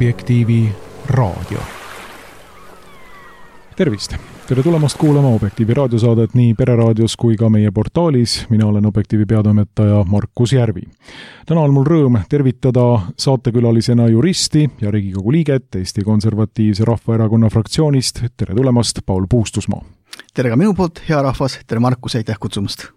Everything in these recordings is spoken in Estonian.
Objektiivi raadio. Tervist! Tere tulemast kuulama Objektiivi raadiosaadet nii Pereraadios kui ka meie portaalis. Mina olen Objektiivi peatoimetaja Markus Järvi. Täna on mul rõõm tervitada saatekülalisena juristi ja Riigikogu liiget Eesti Konservatiivse Rahvaerakonna fraktsioonist. Tere tulemast, Paul Puustusmaa! Tere ka minu poolt, hea rahvas! Tere Markus, aitäh kutsumast!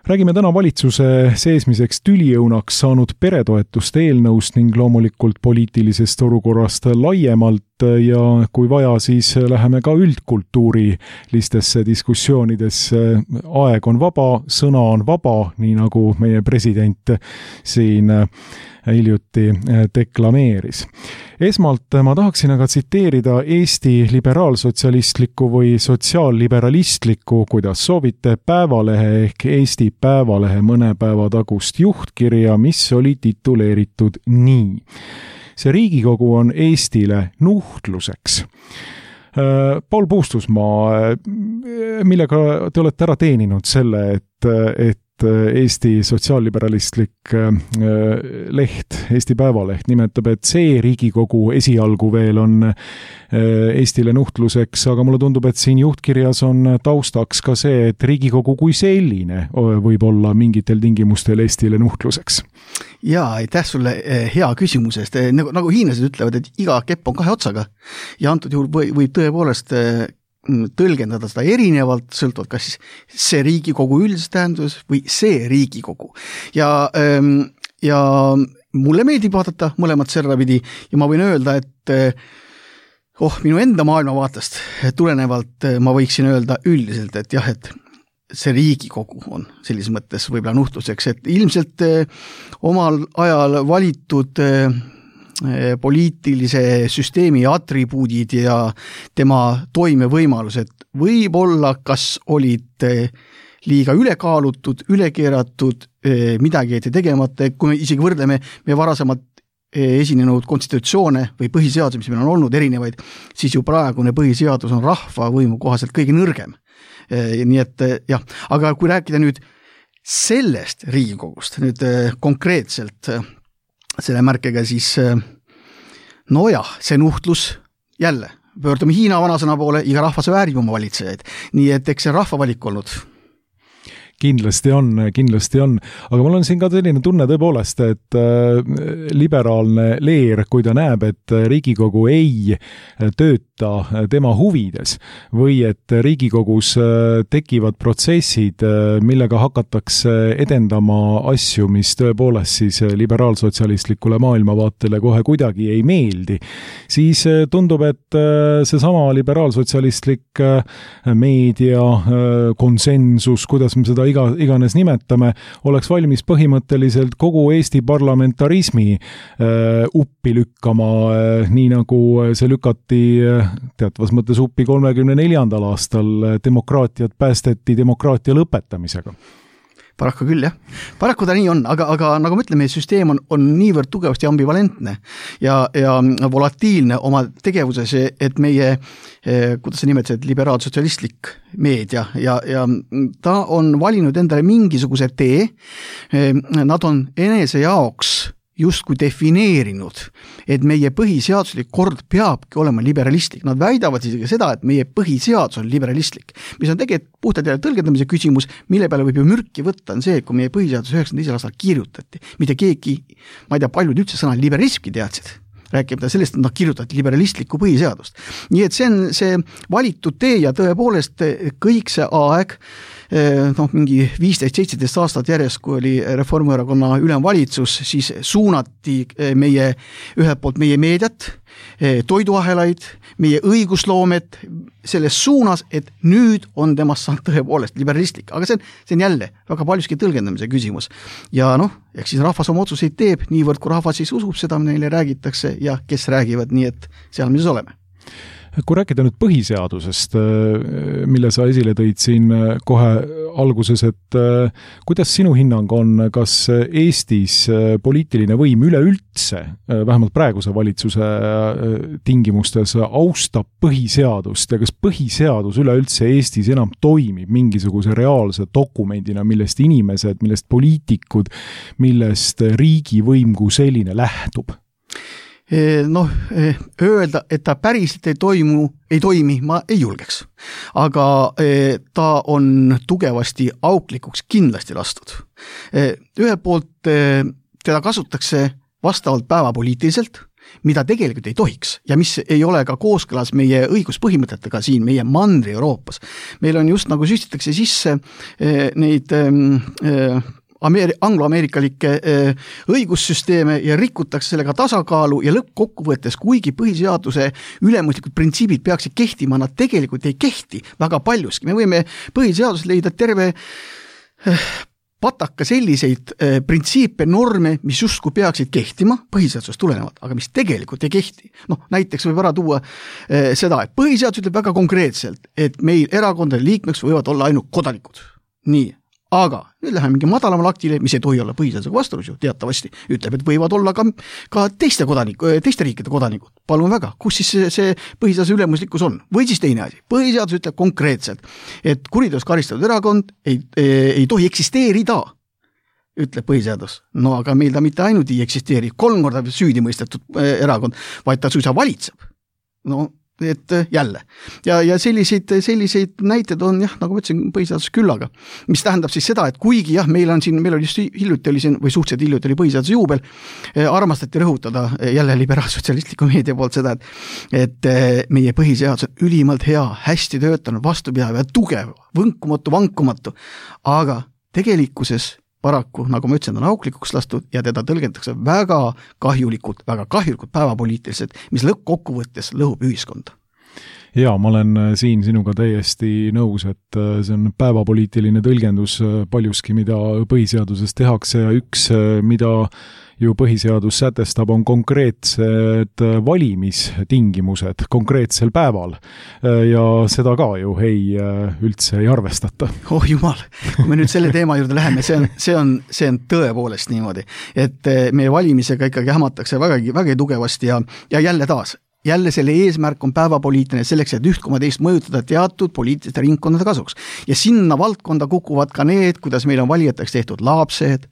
Räägime täna valitsuse seesmiseks tüliõunaks saanud peretoetuste eelnõust ning loomulikult poliitilisest olukorrast laiemalt ja kui vaja, siis läheme ka üldkultuurilistesse diskussioonidesse. Aeg on vaba, sõna on vaba, nii nagu meie president siin hiljuti deklameeris. Esmalt ma tahaksin aga tsiteerida Eesti liberaalsotsialistlikku või sotsiaalliberalistlikku, kuidas soovite, Päevalehe ehk Eesti Päevalehe mõne päeva tagust juhtkirja, mis oli tituleeritud nii. See Riigikogu on Eestile nuhtluseks. Paul Puustusmaa, millega te olete ära teeninud selle, et Eesti sotsiaalliberalistlik leht, Eesti Päevaleht nimetab, et see Riigikogu esialgu veel on Eestile nuhtluseks, aga mulle tundub, et siin juhtkirjas on taustaks ka see, et Riigikogu kui selline võib olla mingitel tingimustel Eestile nuhtluseks. Jaa, aitäh sulle hea küsimusest. Nagu hiinlased ütlevad, et iga kepp on kahe otsaga ja antud juhul võib tõepoolest tõlgendada seda erinevalt, sõltuvalt kas siis see Riigikogu üldises tähendus või see Riigikogu. Ja mulle meeldib vaadata mõlemat servapidi ja ma võin öelda, et minu enda maailmavaatest tulenevalt ma võiksin öelda üldiselt, et jah, et see Riigikogu on sellises mõttes võib-olla nuhtluseks, et ilmselt omal ajal valitud poliitilise süsteemi atribuudid ja tema toimevõimalused võib-olla kas olid liiga ülekaalutud, ülekeeratud, midagi jäeti tegemata, kui me isegi võrdleme meie varasemalt esinenud konstitutsioone või põhiseadus, mis meil on olnud erinevaid, siis ju praegune põhiseadus on rahva võimu kohaselt kõige nõrgem. Nii et jah, aga kui rääkida nüüd sellest Riigikogust, nüüd konkreetselt selle märkega, siis see nuhtlus jälle, pöördume Hiina vanasõna poole, iga rahvas väärib oma valitsejaid. Nii et eks see rahva valik olnud. Kindlasti on. Aga mul on siin ka selline tunne tõepoolest, et liberaalne leer, kui ta näeb, et Riigikogu ei tööta tema huvides või et Riigikogus tekivad protsessid, millega hakatakse edendama asju, mis tõepoolest siis liberaalsotsialistlikule maailmavaatele kohe kuidagi ei meeldi, siis tundub, et seesama liberaalsotsialistlik meedia, konsensus, kuidas me seda iganes nimetame, oleks valmis põhimõtteliselt kogu Eesti parlamentarismi uppi lükkama, nii nagu see lükati teatavas mõttes uppi 34. aastal. Demokraatiat päästeti demokraatia lõpetamisega. Paraku küll, jah. Paraku ta nii on, aga nagu me ütleme, süsteem on niivõrd tugevasti ambivalentne ja volatiilne oma tegevuses, et meie, kuidas sa nimetasid, liberaalsotsialistlik meedia ja ta on valinud endale mingisuguse tee, nad on enese jaoks justkui defineerinud, et meie põhiseaduslik kord peabki olema liberalistlik. Nad väidavad isegi seda, et meie põhiseadus on liberalistlik, mis on tegelikult puhtalt jälle tõlgendamise küsimus, mille peale võib ju mürki võtta, on see, et kui meie põhiseadus 92. aastal kirjutati, mitte keegi, ma ei tea, paljud üldse sõna liberalismki teadsid, rääkimata sellest, et nad kirjutati liberalistlikku põhiseadust. Nii et see on see valitud tee ja tõepoolest kõik see aeg, mingi 15-17 aastat järjest, kui oli Reformierakonna ülemvalitsus, siis suunati ühelt poolt meie meediat, toiduahelaid, meie õigusloomet selles suunas, et nüüd on temast saanud tõepoolest liberalistlik. Aga see on jälle väga paljuski tõlgendamise küsimus. Ja eks siis rahvas oma otsuseid teeb, niivõrd kui rahvas siis usub seda, neile räägitakse ja kes räägivad, nii et seal me siis oleme. Kui rääkida nüüd põhiseadusest, mille sa esile tõid siin kohe alguses, et kuidas sinu hinnang on, kas Eestis poliitiline võim üleüldse, vähemalt praeguse valitsuse tingimustes, austab põhiseadust ja kas põhiseadus üleüldse Eestis enam toimib mingisuguse reaalse dokumendina, millest inimesed, millest poliitikud, millest riigivõim kui selline lähtub? öelda, et ta päriselt ei toimi, ma ei julgeks. Aga ta on tugevasti auklikuks kindlasti lastud. Ühelt poolt teda kasutatakse vastavalt päevapoliitiliselt, mida tegelikult ei tohiks ja mis ei ole ka kooskõlas meie õiguspõhimõtetega siin meie Mandri-Euroopas. Meil on just nagu süstitakse sisse neid anglo-ameerikalikke õigussüsteeme ja rikutakse sellega tasakaalu ja lõppkokkuvõttes, kuigi põhiseaduse ülemuslikud printsiibid peaksid kehtima, nad tegelikult ei kehti väga paljuski. Me võime põhiseadus leida terve pataka selliseid printsiipe, norme, mis justkui peaksid kehtima põhiseadusest tulenevalt, aga mis tegelikult ei kehti. Näiteks võib ära tuua seda, et põhiseadus ütleb väga konkreetselt, et meil erakondade liikmeks võivad olla ainult kodanikud. Nii. Aga nüüd läheme mingi madalamal aktile, mis ei tohi olla põhiseadusega vastuolus ju teatavasti, ütleb, et võivad olla ka teiste riikide kodanikud. Palun väga, kus siis see põhiseaduse ülemuslikkus on? Või siis teine asi. Põhiseadus ütleb konkreetselt, et kuriteos karistatud erakond ei tohi eksisteerida, ütleb põhiseadus. Aga meil ta mitte ainult ei eksisteeri, 3 korda süüdi mõistetud erakond, vaid ta suisa valitseb. Et jälle. Ja selliseid näited on nagu ma ütlesin, põhiseadus küllaga. Mis tähendab siis seda, et kuigi meil on just hiljuti oli siin, või suhteliselt hiljuti oli põhiseaduse juubel, armastati rõhutada jälle liberaalsotsialistliku meedia poolt seda, et meie põhiseadus on ülimalt hea, hästi töötanud, vastupidav ja tugev, vankumatu, aga tegelikkuses paraku, nagu ma ütlesin, on auklikuks lastud ja teda tõlgendatakse väga kahjulikult päevapoliitiliselt, mis lõppkokkuvõttes lõhub ühiskonda. Jaa, ma olen siin sinuga täiesti nõus, et see on päevapoliitiline tõlgendus paljuski, mida põhiseaduses tehakse ja üks, mida ju põhiseadus sätestab, on konkreetsed valimistingimused konkreetsel päeval ja seda ka ju üldse ei arvestata. Oh jumal, kui me nüüd selle teema juurde läheme, see on tõepoolest niimoodi, et meie valimisega ikkagi hämatakse väga tugevasti ja jälle selle eesmärk on päevapoliitiline selleks, et 1,2 mõjutada teatud poliitiliste ringkondade kasuks. Ja sinna valdkonda kukuvad ka need, kuidas meil on valijateks tehtud lapsed,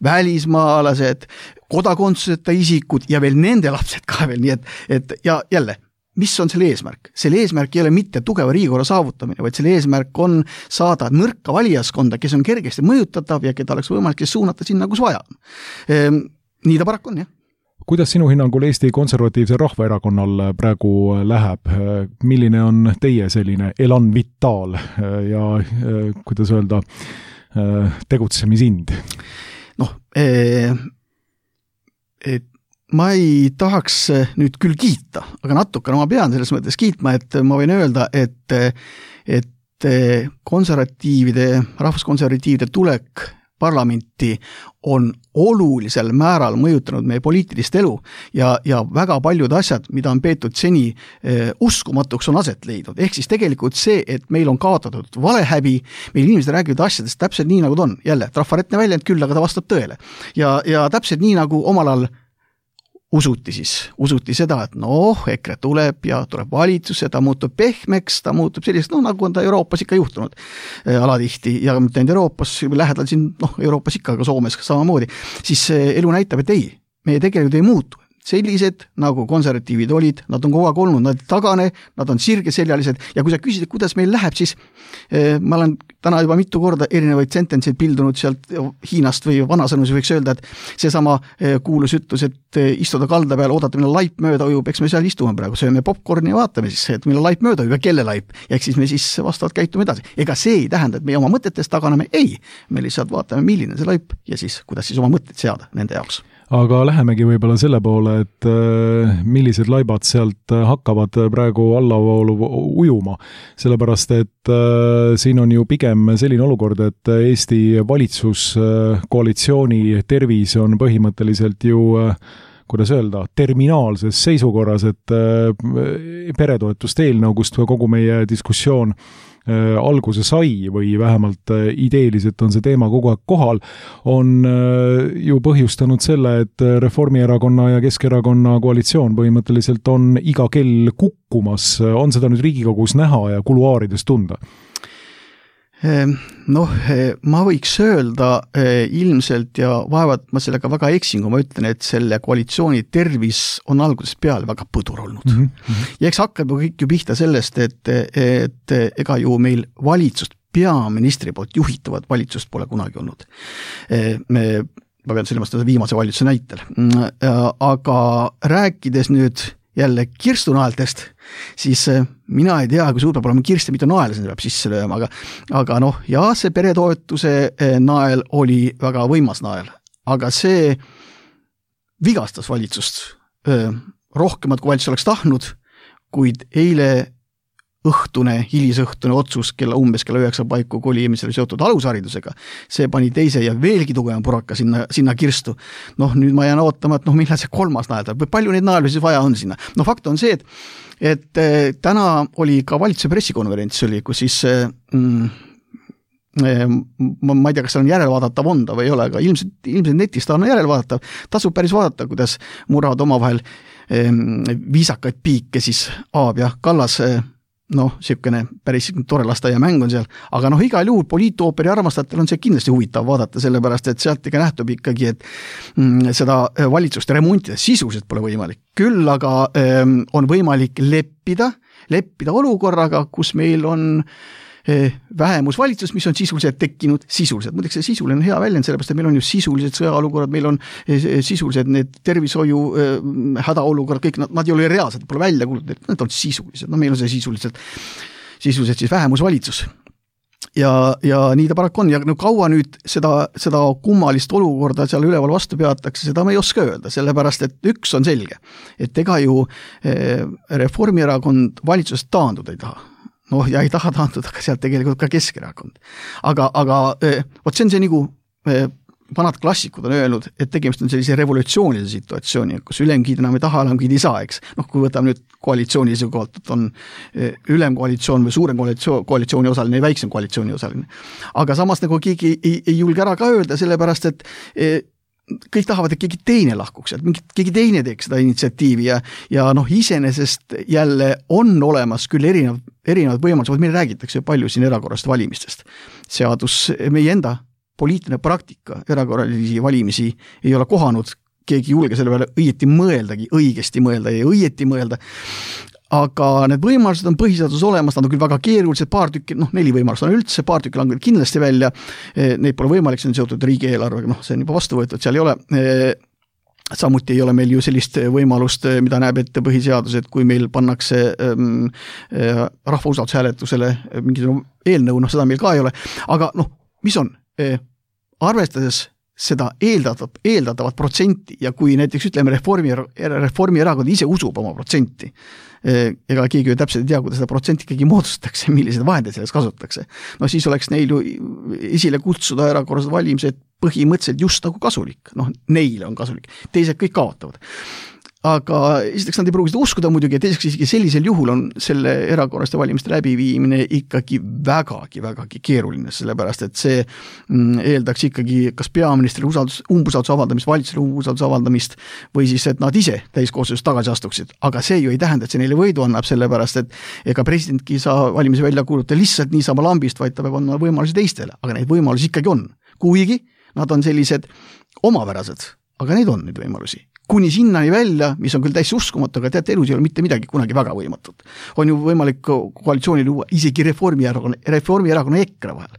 välismaalased, kodakondsuseta isikud ja veel nende lapsed ka veel. Nii et ja jälle, mis on selle eesmärk? Selle eesmärk ei ole mitte tugeva riigikorra saavutamine, vaid selle eesmärk on saada nõrka valijaskonda, kes on kergesti mõjutatav ja keda oleks võimalik suunata sinna, kus vaja. Nii ta paraku on, jah. Kuidas sinu hinnangul Eesti Konservatiivse Rahvaerakonnal praegu läheb? Milline on teie selline elan vitaal ja, kuidas öelda, tegutsemisinid? Ma ei tahaks nüüd küll kiita, aga natukene ma pean selles mõttes kiitma, et ma võin öelda, et rahvuskonservatiivide tulek parlamenti on olulisel määral mõjutanud meie poliitilist elu ja väga paljud asjad, mida on peetud seni uskumatuks, on aset leidnud. Ehk siis tegelikult see, et meil on kaotatud valehäbi, meil inimesed räägivad asjadest täpselt nii, nagu ta on. Jälle, trafaretne väljend küll, aga ta vastab tõele. Ja täpselt nii, nagu omal ajal usuti seda, et EKRE tuleb ja tuleb valitsus ja ta muutub pehmeks, ta muutub selliseks, nagu on ta Euroopas ikka juhtunud alatihti ja mitte ainult Euroopas, lähedal siin, Euroopas ikka, aga Soomes samamoodi, siis elu näitab, et ei, meie tegelikult ei muutu. Sellised, nagu konservatiivid olid, nad on kogu aeg olnud, nad tagane, nad on sirgeseljalised ja kui sa küsid, kuidas meil läheb, siis ma olen täna juba mitu korda erinevaid sentenseid pildunud sealt Hiinast või vanasõnus võiks öelda, et seesama kuulus ütlus, et istuda kalda peal, oodata, millal laip mööda ujub, eks me seal istume praegu, sööme popcorni ja vaatame siis, et millal laip mööda ujub ja kelle laip, ja eks siis me siis vastavalt käitume edasi. Ega see ei tähenda, et me oma mõtetest taganeme, ei, me lihtsalt vaatame, milline see laip ja siis, kuidas siis oma mõtteid seada nende jaoks. Aga lähemegi võib-olla selle poole, et millised laibad sealt hakkavad praegu allavoolu ujuma, sellepärast et siin on ju pigem selline olukord, et Eesti valitsuskoalitsiooni tervis on põhimõtteliselt ju, kuidas öelda, terminaalses seisukorras, et peretoetuste eelnõu, kust kogu meie diskussioon alguse sai või vähemalt ideeliselt on see teema kogu aeg kohal, on ju põhjustanud selle, et Reformierakonna ja Keskerakonna koalitsioon põhimõtteliselt on iga kell kukkumas. On seda nüüd Riigikogus näha ja kuluaarides tunda? Noh, ma võiks öelda ilmselt ja vaevalt ma sellega väga eksin, kui ma ütlen, et selle koalitsiooni tervis on algusest peale väga põdur olnud. Ja eks hakkab kõik ju pihta sellest, et ega ju meil valitsust, peaministri poolt juhitavat valitsust pole kunagi olnud. Ma pean silmas viimase valitsuse näitel. Aga rääkides nüüd jälle kirstunaeltest, siis mina ei tea, kui suur peab olema kirste, mitte naela sinna peab sisse lööma, aga noh, ja see peretoetuse nael oli väga võimas nael, aga see vigastas valitsust rohkemat, kui valitsus oleks tahtnud, kuid eile hilisõhtune otsus umbes kella 9 paiku koli, mis oli seotud alusharidusega, see pani teise ja veelgi tugevama puraka sinna kirstu. Noh, nüüd ma jään ootama, et millal see kolmas nael tuleb, või palju neid naelu siis vaja on sinna. No fakt on see, et täna oli ka valitsuse pressikonverents, kus siis ma ei tea, kas seal on järelvaadatav onda või ei ole, aga ilmselt netist on järelvaadatav. Tasub päris vaadata, kuidas muravad omavahel viisakaid piike siis Aab ja Kallas siukene päris tore lasteaia mäng on seal, aga igal juhul poliitooperi armastajatel on see kindlasti huvitav vaadata, sellepärast, et sealt nähtub ikkagi, et seda valitsust remontida sisuliselt pole võimalik. Küll aga on võimalik leppida olukorraga, kus meil on vähemusvalitsus, mis on sisuliselt tekkinud sisuliselt. Muideks see sisuline on hea väljend, sellepärast, et meil on ju sisulised sõjaolukorrad, meil on sisulised need tervishoiu hädaolukorrad, kõik nad ei ole reaalselt, pole välja kuulutatud, need on sisulised. Meil on see sisuliselt siis vähemusvalitsus. Ja nii ta paraku on. Ja kaua nüüd seda kummalist olukorda seal üleval vastu peatakse, seda ma ei oska öelda, sellepärast, et üks on selge, et ega ju Reformierakond valitsusest taanduda ei taha. Ja ei taha taanduda, aga sealt tegelikult ka Keskerakond. Aga vot see on see nagu vanad klassikud on öelnud, et tegemist on sellise revolutsioonilise situatsiooni, kus ülemgiid enam ei taha, alamgiid ei saa, eks. Kui võtame nüüd koalitsiooni seisukohalt, et on ülemkoalitsioon või suurem koalitsiooni osaline ja väiksem koalitsiooni osaline. Aga samas nagu keegi ei julge ära ka öelda, sellepärast, et kõik tahavad, et keegi teine lahkuks, et keegi teine teeks seda initsiatiivi ja iseenesest jälle on olemas küll erinevad võimalused, meil räägitakse palju siin erakorralist valimistest. Seadus, meie enda poliitiline praktika erakorralisi valimisi ei ole kohanud, keegi julge selle peale õigesti mõelda, aga need võimalused on põhiseaduses olemas, nad on küll väga keerulised, paar tükki, 4 võimalust on üldse, paar tükki langeb kindlasti välja, neid pole võimalik, see on seotud riigieelarvega, see on juba vastu võetud, seal ei ole, samuti ei ole meil ju sellist võimalust, mida näeb ette põhiseadus, et kui meil pannakse rahva usaldushääletusele mingisugune eelnõu, seda meil ka ei ole, aga mis on, arvestades seda eeldatavat protsenti ja kui näiteks ütleme Reformierakond ise usub oma protsenti, ega keegi ju täpselt ei tea, kuidas seda protsenti ikkagi moodustatakse, millised vahendeid selles kasutatakse. Siis oleks neil ju esile kutsuda erakorralised valimised põhimõtteliselt just nagu kasulik. Neile on kasulik. Teised kõik kaotavad. Aga esiteks nad ei pruugi seda uskuda muidugi, ja teiseks isegi sellisel juhul on selle erakorraliste valimiste läbiviimine ikkagi vägagi keeruline, sellepärast et see eeldaks ikkagi kas peaministri umbusalduse avaldamist, valitsusele umbusalduse avaldamist või siis, et nad ise täiskoosseisus tagasi astuksid. Aga see ju ei tähenda, et see neile võidu annab, sellepärast et ega presidentki ei saa valimisi välja kuulutada lihtsalt niisama lambist, vaid ta peab andma võimalusi teistele, aga neid võimalusi ikkagi on. Kuigi nad on sellised omapärased, aga neid on neid võimalusi. Kuni sinnani välja, mis on küll täiesti uskumatu, aga teate, elus ei ole mitte midagi kunagi väga võimatut. On ju võimalik koalitsiooni luua isegi Reformierakonna EKRE vahel.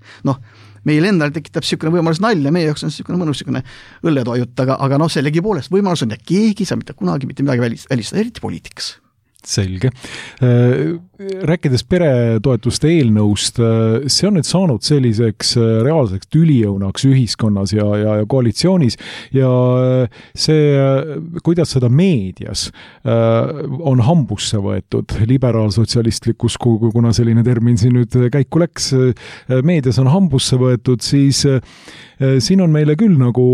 Meil endal tekitab niisugune võimalus nalja, meie jaoks on niisugune mõnus õlletoajut, aga sellegi poolest võimalus on ja keegi saab mitte kunagi mitte midagi välistada, eriti poliitikas. Selge. Rääkides peretoetuste eelnõust, see on nüüd saanud selliseks reaalseks tülijõunaks ühiskonnas ja koalitsioonis ja see, kuidas seda meedias on hambusse võetud liberaalsotsialistlikus, kuna selline termin siin nüüd käiku läks, meedias on hambusse võetud, siis siin on meile küll nagu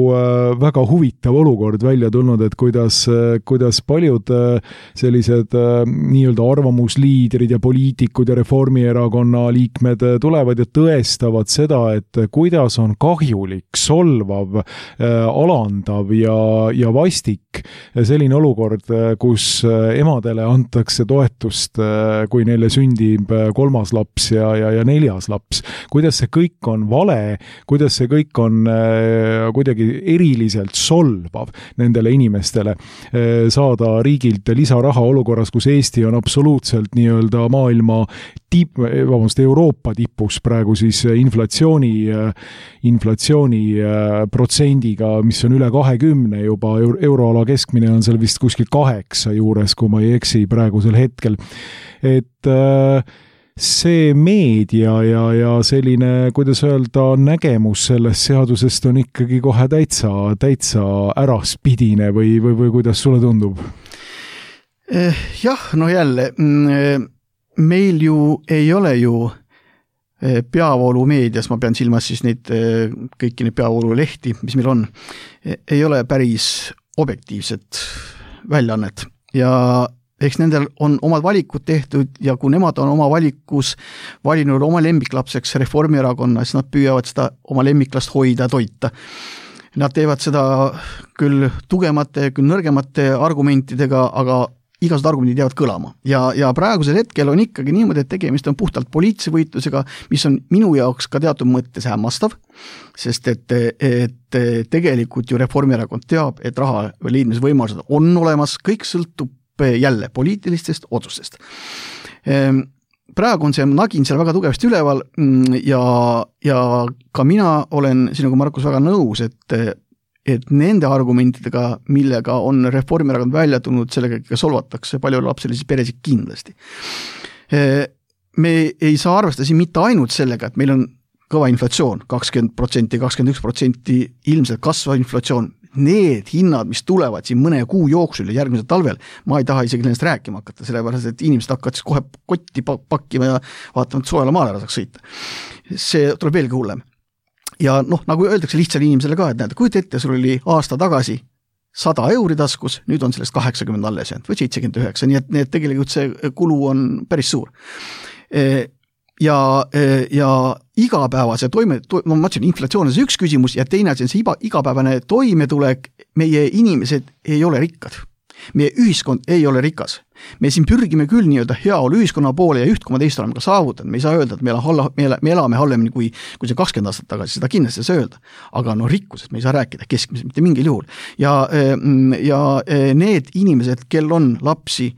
väga huvitav olukord välja tulnud, et kuidas paljud sellised nii-öelda arvamusliidrid ja poliitikud ja Reformierakonna liikmed tulevad ja tõestavad seda, et kuidas on kahjulik, solvav, alandav ja vastik selline olukord, kus emadele antakse toetust, kui neile sündib 3. laps ja 4. laps. Kuidas see kõik on vale, kuidas see kõik on kuidagi eriliselt solvav nendele inimestele, saada riigilt lisaraha olukorras, kus Eesti on absoluutselt nii-öelda maailma Euroopa tipus praegu siis inflatsiooni protsendiga, mis on üle 20 juba, euroala keskmine on seal vist kuskil 8 juures, kui ma ei eksi praegusel hetkel. Et see meedia ja selline, kuidas öelda, nägemus sellest seadusest on ikkagi kohe täitsa äraspidine või kuidas sulle tundub? Jah, no jälle, meil ju ei ole ju peavoolumeedias, ma pean silmas siis neid kõiki neid peavoolulehti, mis meil on, ei ole päris objektiivset väljaannet ja eks nendel on omad valikud tehtud ja kui nemad on oma valikus valinud oma lemmiklapseks Reformierakonna, siis nad püüavad seda oma lemmiklast hoida ja toita. Nad teevad seda küll tugevamate, küll nõrgemate argumentidega, aga igasugused argumendid jäävad kõlama. Ja praegusel hetkel on ikkagi niimoodi, et tegemist on puhtalt poliitilise võitlusega, mis on minu jaoks ka teatud mõttes hämmastav, sest et tegelikult ju Reformierakond teab, et raha leidmise võimalused on olemas, kõik sõltub jälle poliitilistest otsustest. Praegu on see nagin seal väga tugevasti üleval ja ka mina olen sinuga, Markus, väga nõus, et nende argumentidega, millega on Reformierakond välja tulnud, sellega solvatakse paljulapselisi peresid kindlasti. Me ei saa arvestada siin mitte ainult sellega, et meil on kõva inflatsioon, 20%, 21% ilmselt kasvav inflatsioon. Need hinnad, mis tulevad siin mõne kuu jooksul ja järgmisel talvel, ma ei taha isegi nendest rääkima hakata, sellepärast, et inimesed hakkavad siis kohe kotti pakkima ja vaatama, et soojale maale ära saaks sõita. See tuleb veelgi hullem. Ja nagu öeldakse lihtsale inimesele ka, et näed, kujuta ette, sul oli aasta tagasi 100 euri taskus, nüüd on sellest 80 alles jäänud või 79, nii et tegelikult see kulu on päris suur. Ja igapäevase ma mõtlesin, inflatsioon on see üks küsimus ja teine on see igapäevane toimetulek, meie inimesed ei ole rikkad. Meie ühiskond ei ole rikas. Me siin pürgime küll nii-öelda heaolu ühiskonna poole ja 1,2 oleme ka saavutanud. Me ei saa öelda, et me elame halvemini kui see 20 aastat tagasi, seda kindlasti ei saa öelda. Aga rikkusest me ei saa rääkida keskmiselt mitte mingil juhul. Ja need inimesed, kel on lapsi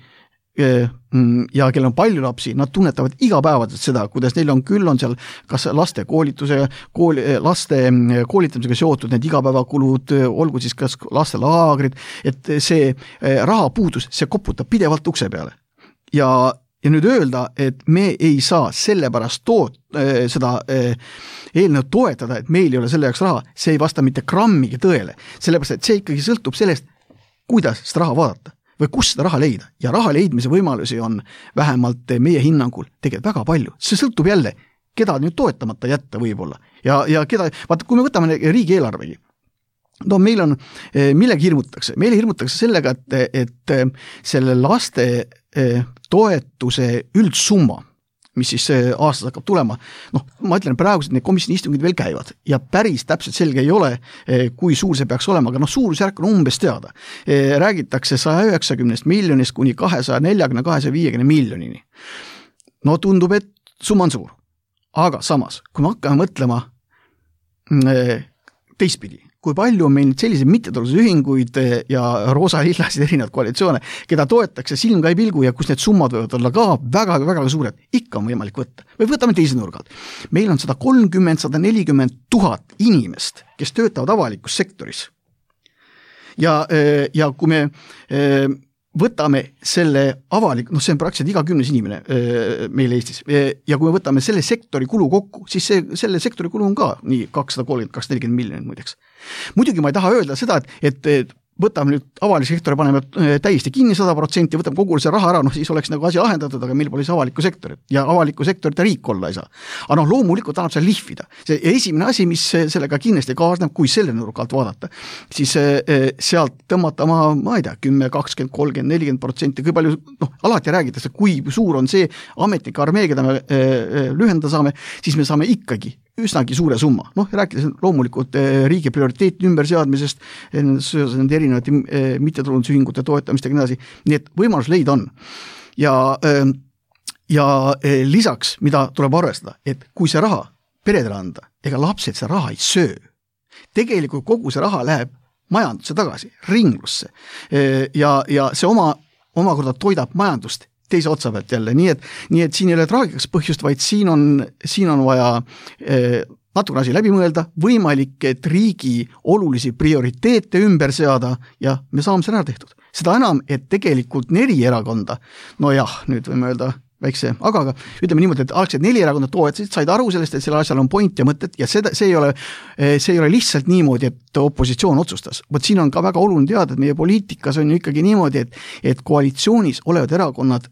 ja kellel on palju lapsi, nad tunnetavad igapäevaselt seda, kuidas neil on seal kas laste laste koolitamisega seotud need igapäevakulud, olgu siis kas lastelaagrid, et see rahapuudus, see koputab pidevalt ukse peale. Ja nüüd öelda, et me ei saa sellepärast seda eelnõu toetada, et meil ei ole selle jaoks raha, see ei vasta mitte grammigi tõele, sellepärast, et see ikkagi sõltub sellest, kuidas seda raha vaadata või kus seda raha leida. Ja raha leidmise võimalusi on vähemalt meie hinnangul tegelikult väga palju. See sõltub jälle, keda nüüd toetamata jätta võib-olla. Ja keda, vaata, kui me võtame riigieelarvegi, meil on, millega hirmutatakse? Meile hirmutatakse sellega, et selle laste toetuse üldsumma, mis siis aastas hakkab tulema, ma ütlen praegused need komisjoni istungid veel käivad ja päris täpselt selge ei ole, kui suur see peaks olema, aga suurusjärk on umbes teada. Räägitakse 190 miljonist kuni 240-250 miljonini. Tundub, et summa on suur. Aga samas, kui me hakkame mõtlema teistpidi, kui palju on meil selliseid mittetulundusühinguid ja roosa-lillasid erinevad koalitsioone, keda toetakse silm ka ei pilgu ja kus need summad võivad olla ka väga-väga suured, ikka on võimalik võtta. Või võtame teise nurgalt. Meil on 130-140 000 inimest, kes töötavad avalikus sektoris. Ja kui me võtame selle avalik, see on praktiliselt iga 10 inimene meil Eestis, ja kui me võtame selle sektori kulu kokku, siis selle sektori kulu on ka nii 230-240 miljonit muideks. Muidugi ma ei taha öelda seda, et võtame nüüd avalik sektori, paneme täiesti kinni 100%, võtame kogu see raha ära, siis oleks nagu asi lahendatud, aga meil pole siis avalikku sektorit ja avalikku sektorit riik olla ei saa. Aga loomulikult annab seal lihvida. See esimene asi, mis sellega kindlasti kaasneb, kui selle nurga alt vaadata, siis sealt tõmmata ma ei tea, 10, 20, 30, 40%, kui palju, alati räägitakse, kui suur on see ametnike armee, keda me lühendada saame, siis me saame ikkagi üsnagi suure summa. Rääkides loomulikult riigi prioriteetide ümberseadmisest, nende erinevate mittetulundusühingute toetamistega nii edasi, nii et võimalus leida on. Ja lisaks, mida tuleb arvestada, et kui see raha peredele anda, ega lapsed see raha ei söö. Tegelikult kogu see raha läheb majandusse tagasi, ringlusse ja see omakorda toidab majandust teise otsa pealt jälle, nii et siin ei ole traagikaks põhjust, vaid siin on vaja natukene asi läbi mõelda, võimalik, et riigi olulisi prioriteete ümber seada ja me saame selle ära tehtud. Seda enam, et tegelikult 4 erakonda, nüüd võime öelda väikse, aga ütleme niimoodi, et algselt 4 erakonda toetasid, said aru sellest, et selle asjal on point ja mõtted ja see ei ole lihtsalt niimoodi, et opositsioon otsustas. Võt siin on ka väga oluline teada, et meie poliitikas on ju ikkagi niimoodi, et koalitsioonis olevad erakonnad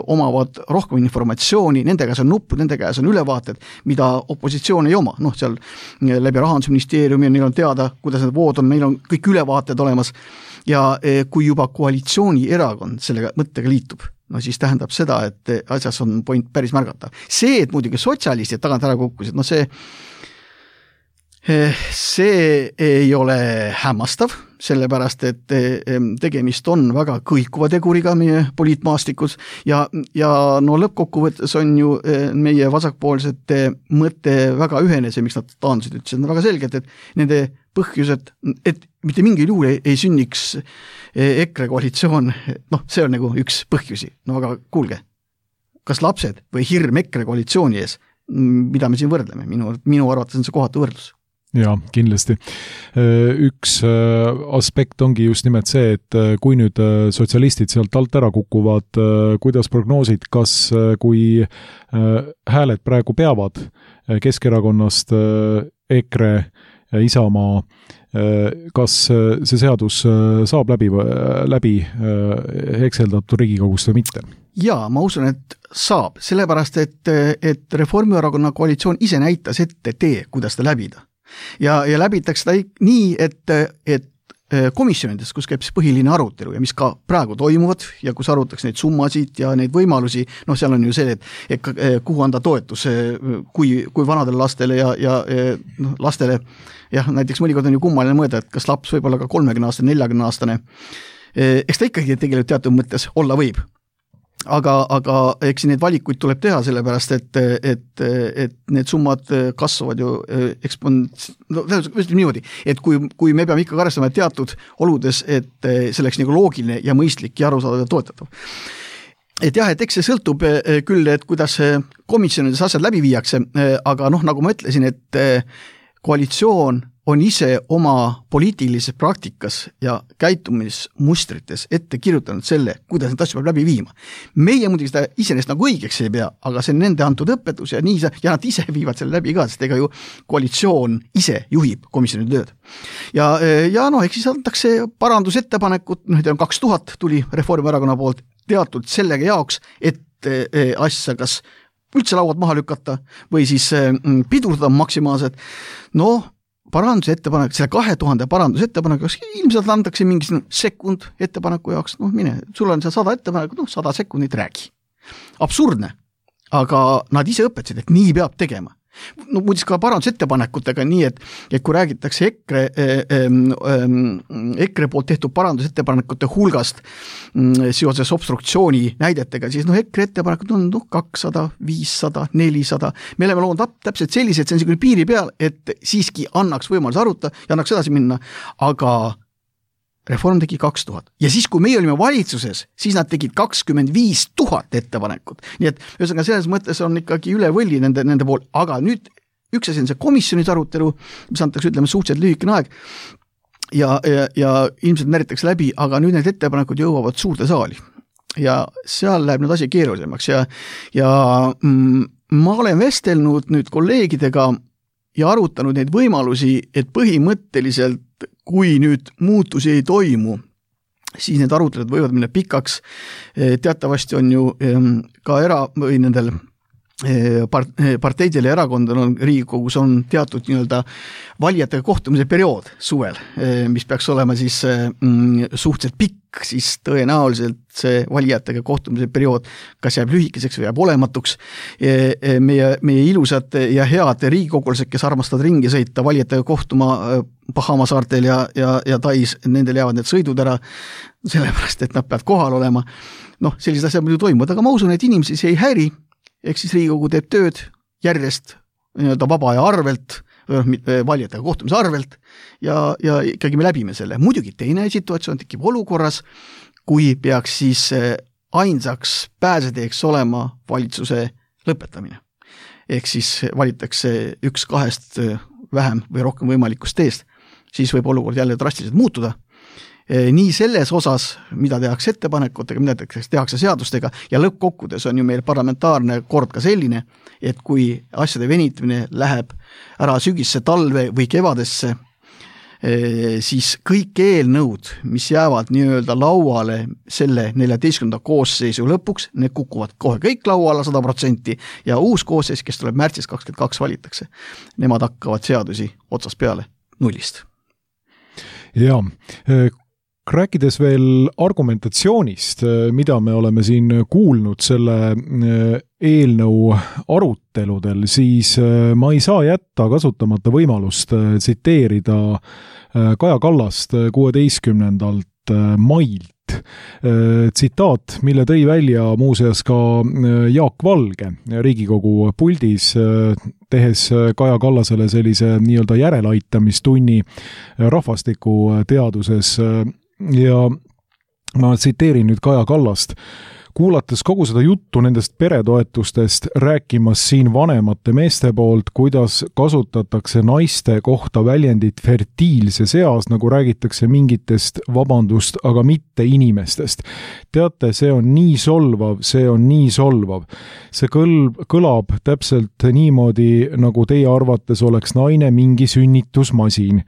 omavad rohkem informatsiooni, nende käes on nuppud, nende käes on ülevaated, mida opositsioon ei oma. Seal läbi Rahandusministeeriumi neil on teada, kuidas need vood on, neil on kõik ülevaated olemas ja kui juba koalitsiooni erakond sellega mõttega liitub, siis tähendab seda, et asjas on point päris märgata. See, et muidugi sotsialistid tagant ära kukkusid, see ei ole hämmastav, sellepärast, et tegemist on väga kõikuva teguriga meie poliitmaastikus ja lõppkokkuvõttes on ju meie vasakpoolsete mõte väga ühene, see, miks nad taandusid, ütlesid väga selgelt, et nende põhjused, et mitte mingil juhul ei sünniks EKRE koalitsioon, see on nagu üks põhjusi. Aga kuulge, kas lapsed või hirm EKRE koalitsiooni ees, mida me siin võrdleme? Minu arvates on see kohatu võrdlus. Jaa, kindlasti. Üks aspekt ongi just nimelt see, et kui nüüd sotsialistid sealt alt ära kukuvad, kuidas prognoosid, kas kui hääled praegu peavad Keskerakonnast EKRE Isamaa, kas see seadus saab läbi hekseldatud Riigikogust või mitte? Jaa, ma usun, et saab, sellepärast, et Reformierakonna koalitsioon ise näitas ette tee, kuidas ta läbida. Ja läbitakse ta nii, et komisjonides, kus käib põhiline arutelu ja mis ka praegu toimuvad ja kus arutatakse neid summasid ja neid võimalusi, seal on ju see, et kuhu anda toetus, kui vanadele lastele ja lastele, näiteks mõnikord on ju kummaline mõelda, et kas laps võib olla ka 30-aastane, 40-aastane, eks ta ikkagi tegelikult teatud mõttes olla võib. Aga eks neid valikuid tuleb teha, sellepärast, et need summad kasvavad ju niimoodi, et kui me peame ikka arvestama teatud oludes, et see oleks nagu loogiline ja mõistlik ja arusaadav ja toetatav. Et jah, et eks see sõltub küll, et kuidas komisjonides asjad läbi viiakse, aga nagu ma ütlesin, et koalitsioon on ise oma poliitilises praktikas ja käitumismustrites ette kirjutanud selle, kuidas need asju peab läbi viima. Meie muidugi seda iseenesest nagu õigeks ei pea, aga see on nende antud õpetus ja nad ise viivad selle läbi ka, sest ega ju koalitsioon ise juhib komisjoni tööd. Ja eks siis antakse parandusettepanekut, 2000 tuli Reformierakonna poolt teatud sellega jaoks, et asja kas üldse lauad maha lükata või siis pidurdada maksimaalselt. Parandusettepanek, selle 2000 parandusettepanek, ilmselt antakse mingi sekund ettepaneku jaoks, sul on see 100 ettepanekut, 100 sekundit räägi. Absurdne, aga nad ise õpetasid, et nii peab tegema. Muidis ka parandusettepanekutega nii, et kui räägitakse EKRE poolt tehtud parandusettepanekute hulgast seoses obstruktsiooni näidetega, siis EKRE ettepanekud on 200, 500, 400. Me oleme loonud täpselt sellised, see on niisugune piiri peal, et siiski annaks võimalus aruta ja annaks edasi minna, aga Reform tegi 2000. Ja siis, kui meie olime valitsuses, siis nad tegid 25 000 ettepanekut. Nii et ühesõnaga selles mõttes on ikkagi üle võlli nende pool. Aga nüüd üks asi on see komisjonis arutelu, mis antakse ütleme suhteliselt lühikene aeg ja ilmselt näritakse läbi, aga nüüd need ettepanekud jõuavad suurde saali. Ja seal läheb nüüd asi keerulisemaks ja ma olen vestelnud nüüd kolleegidega ja arutanud neid võimalusi, et põhimõtteliselt kui nüüd muutusi ei toimu, siis need arutelud võivad minna pikaks. Teatavasti on ju ka nendel parteidel ja erakondadel on Riigikogus on teatud nii-öelda valijatega kohtumise periood suvel, mis peaks olema siis suhteliselt pikk, siis tõenäoliselt see valijatega kohtumise periood kas jääb lühikeseks või jääb olematuks. Meie ilusad ja head riigikogulased, kes armastavad ringi sõita valijatega kohtuma Bahama saartel ja Tais, nendel jäävad need sõidud ära, sellepärast, et nad peavad kohal olema. Sellised asjad muidu toimuvad, aga ma usun, et inimesi see ei häiri. Ehk siis Riigikogu teeb tööd järjest nii-öelda vaba aja arvelt, valijatega kohtumise arvelt ja ikkagi me läbime selle. Muidugi teine situatsioon tekib olukorras, kui peaks siis ainsaks pääseteeks olema valitsuse lõpetamine. Ehk siis valitakse 1-2 vähem või rohkem võimalikust teest, siis võib olukord jälle drastiliselt muutuda. Nii selles osas, mida tehakse ettepanekutega, mida tehakse seadustega ja lõppkokkudes on ju meil parlamentaarne kord ka selline, et kui asjade venitamine läheb ära sügisse, talve või kevadesse, siis kõik eelnõud, mis jäävad nii-öelda lauale selle 14. koosseisu lõpuks, need kukuvad kohe kõik lauale 100% ja uus koosseis, kes tuleb märtsis 22 valitakse, nemad hakkavad seadusi otsast peale nullist. Jaa, rääkides veel argumentatsioonist, mida me oleme siin kuulnud selle eelnõu aruteludel, siis ma ei saa jätta kasutamata võimalust tsiteerida Kaja Kallast 16. mailt. Tsitaat, mille tõi välja muuseas ka Jaak Valge Riigikogu puldis, tehes Kaja Kallasele sellise nii-öelda järeleaitamistunni rahvastikuteaduses. Ja ma tsiteerin nüüd Kaja Kallast. Kuulates kogu seda juttu nendest peretoetustest, rääkimas siin vanemate meeste poolt, kuidas kasutatakse naiste kohta väljendit fertiilses eas, nagu räägitakse mingitest vabandust, aga mitte inimestest. Teate, see on nii solvav, see on nii solvav. See kõlab täpselt niimoodi, nagu teie arvates oleks naine mingi sünnitusmasin.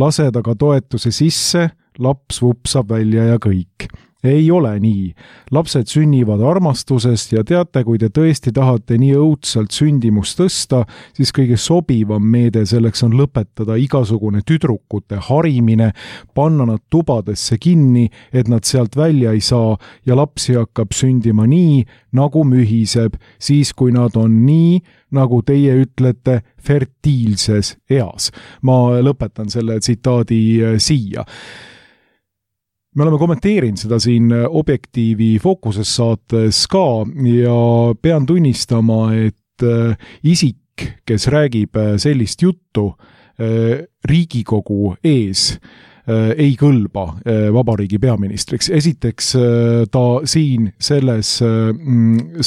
Lased aga toetuse sisse, laps vupsab välja ja kõik. Ei ole nii. Lapsed sünnivad armastusest ja teate, kui te tõesti tahate nii õudselt sündimust tõsta, siis kõige sobivam meede selleks on lõpetada igasugune tüdrukute harimine, panna nad tubadesse kinni, et nad sealt välja ei saa ja lapsi hakkab sündima nii, nagu mühiseb, siis kui nad on nii, nagu teie ütlete, fertiilses eas. Ma lõpetan selle tsitaadi siia. Me oleme kommenteerinud seda siin Objektiivi Fookuses saates ka ja pean tunnistama, et isik, kes räägib sellist juttu Riigikogu ees, ei kõlba vabariigi peaministriks. Esiteks ta siin selles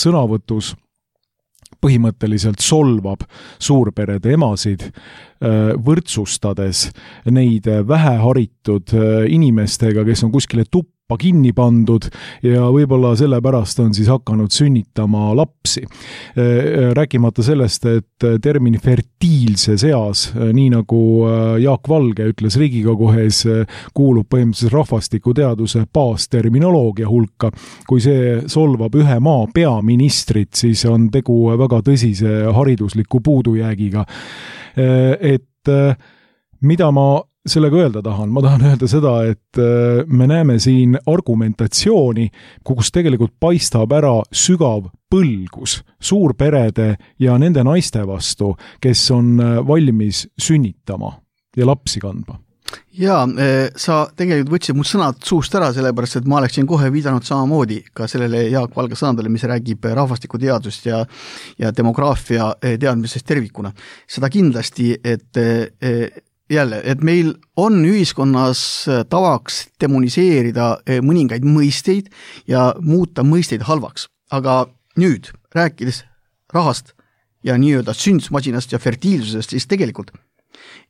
sõnavõtus põhimõtteliselt solvab suurperede emasid, võrdsustades neid väheharitud inimestega, kes on kuskile tuppa kinni pandud ja võib-olla sellepärast on siis hakanud sünnitama lapsi. Rääkimata sellest, et termin fertiilses eas, nii nagu Jaak Valge ütles Riigikogu ees, kuulub põhimõtteliselt rahvastikuteaduse baasterminoloogia hulka. Kui see solvab ühe maa peaministrit, siis on tegu väga tõsise haridusliku puudujäägiga. Et mida ma sellega öelda tahan? Ma tahan öelda seda, et me näeme siin argumentatsiooni, kus tegelikult paistab ära sügav põlgus suurperede ja nende naiste vastu, kes on valmis sünnitama ja lapsi kandma. Jaa, sa tegelikult võtsid mul sõnad suust ära, sellepärast, et ma oleksin kohe viidanud samamoodi ka sellele Jaak Valge sõnadele, mis räägib rahvastikuteadust ja demograafia teadmisest tervikuna. Seda kindlasti, et jälle, et meil on ühiskonnas tavaks demoniseerida mõningaid mõisteid ja muuta mõisteid halvaks. Aga nüüd, rääkides rahast ja nii-öelda sündsmasinast ja fertiilsusest, siis tegelikult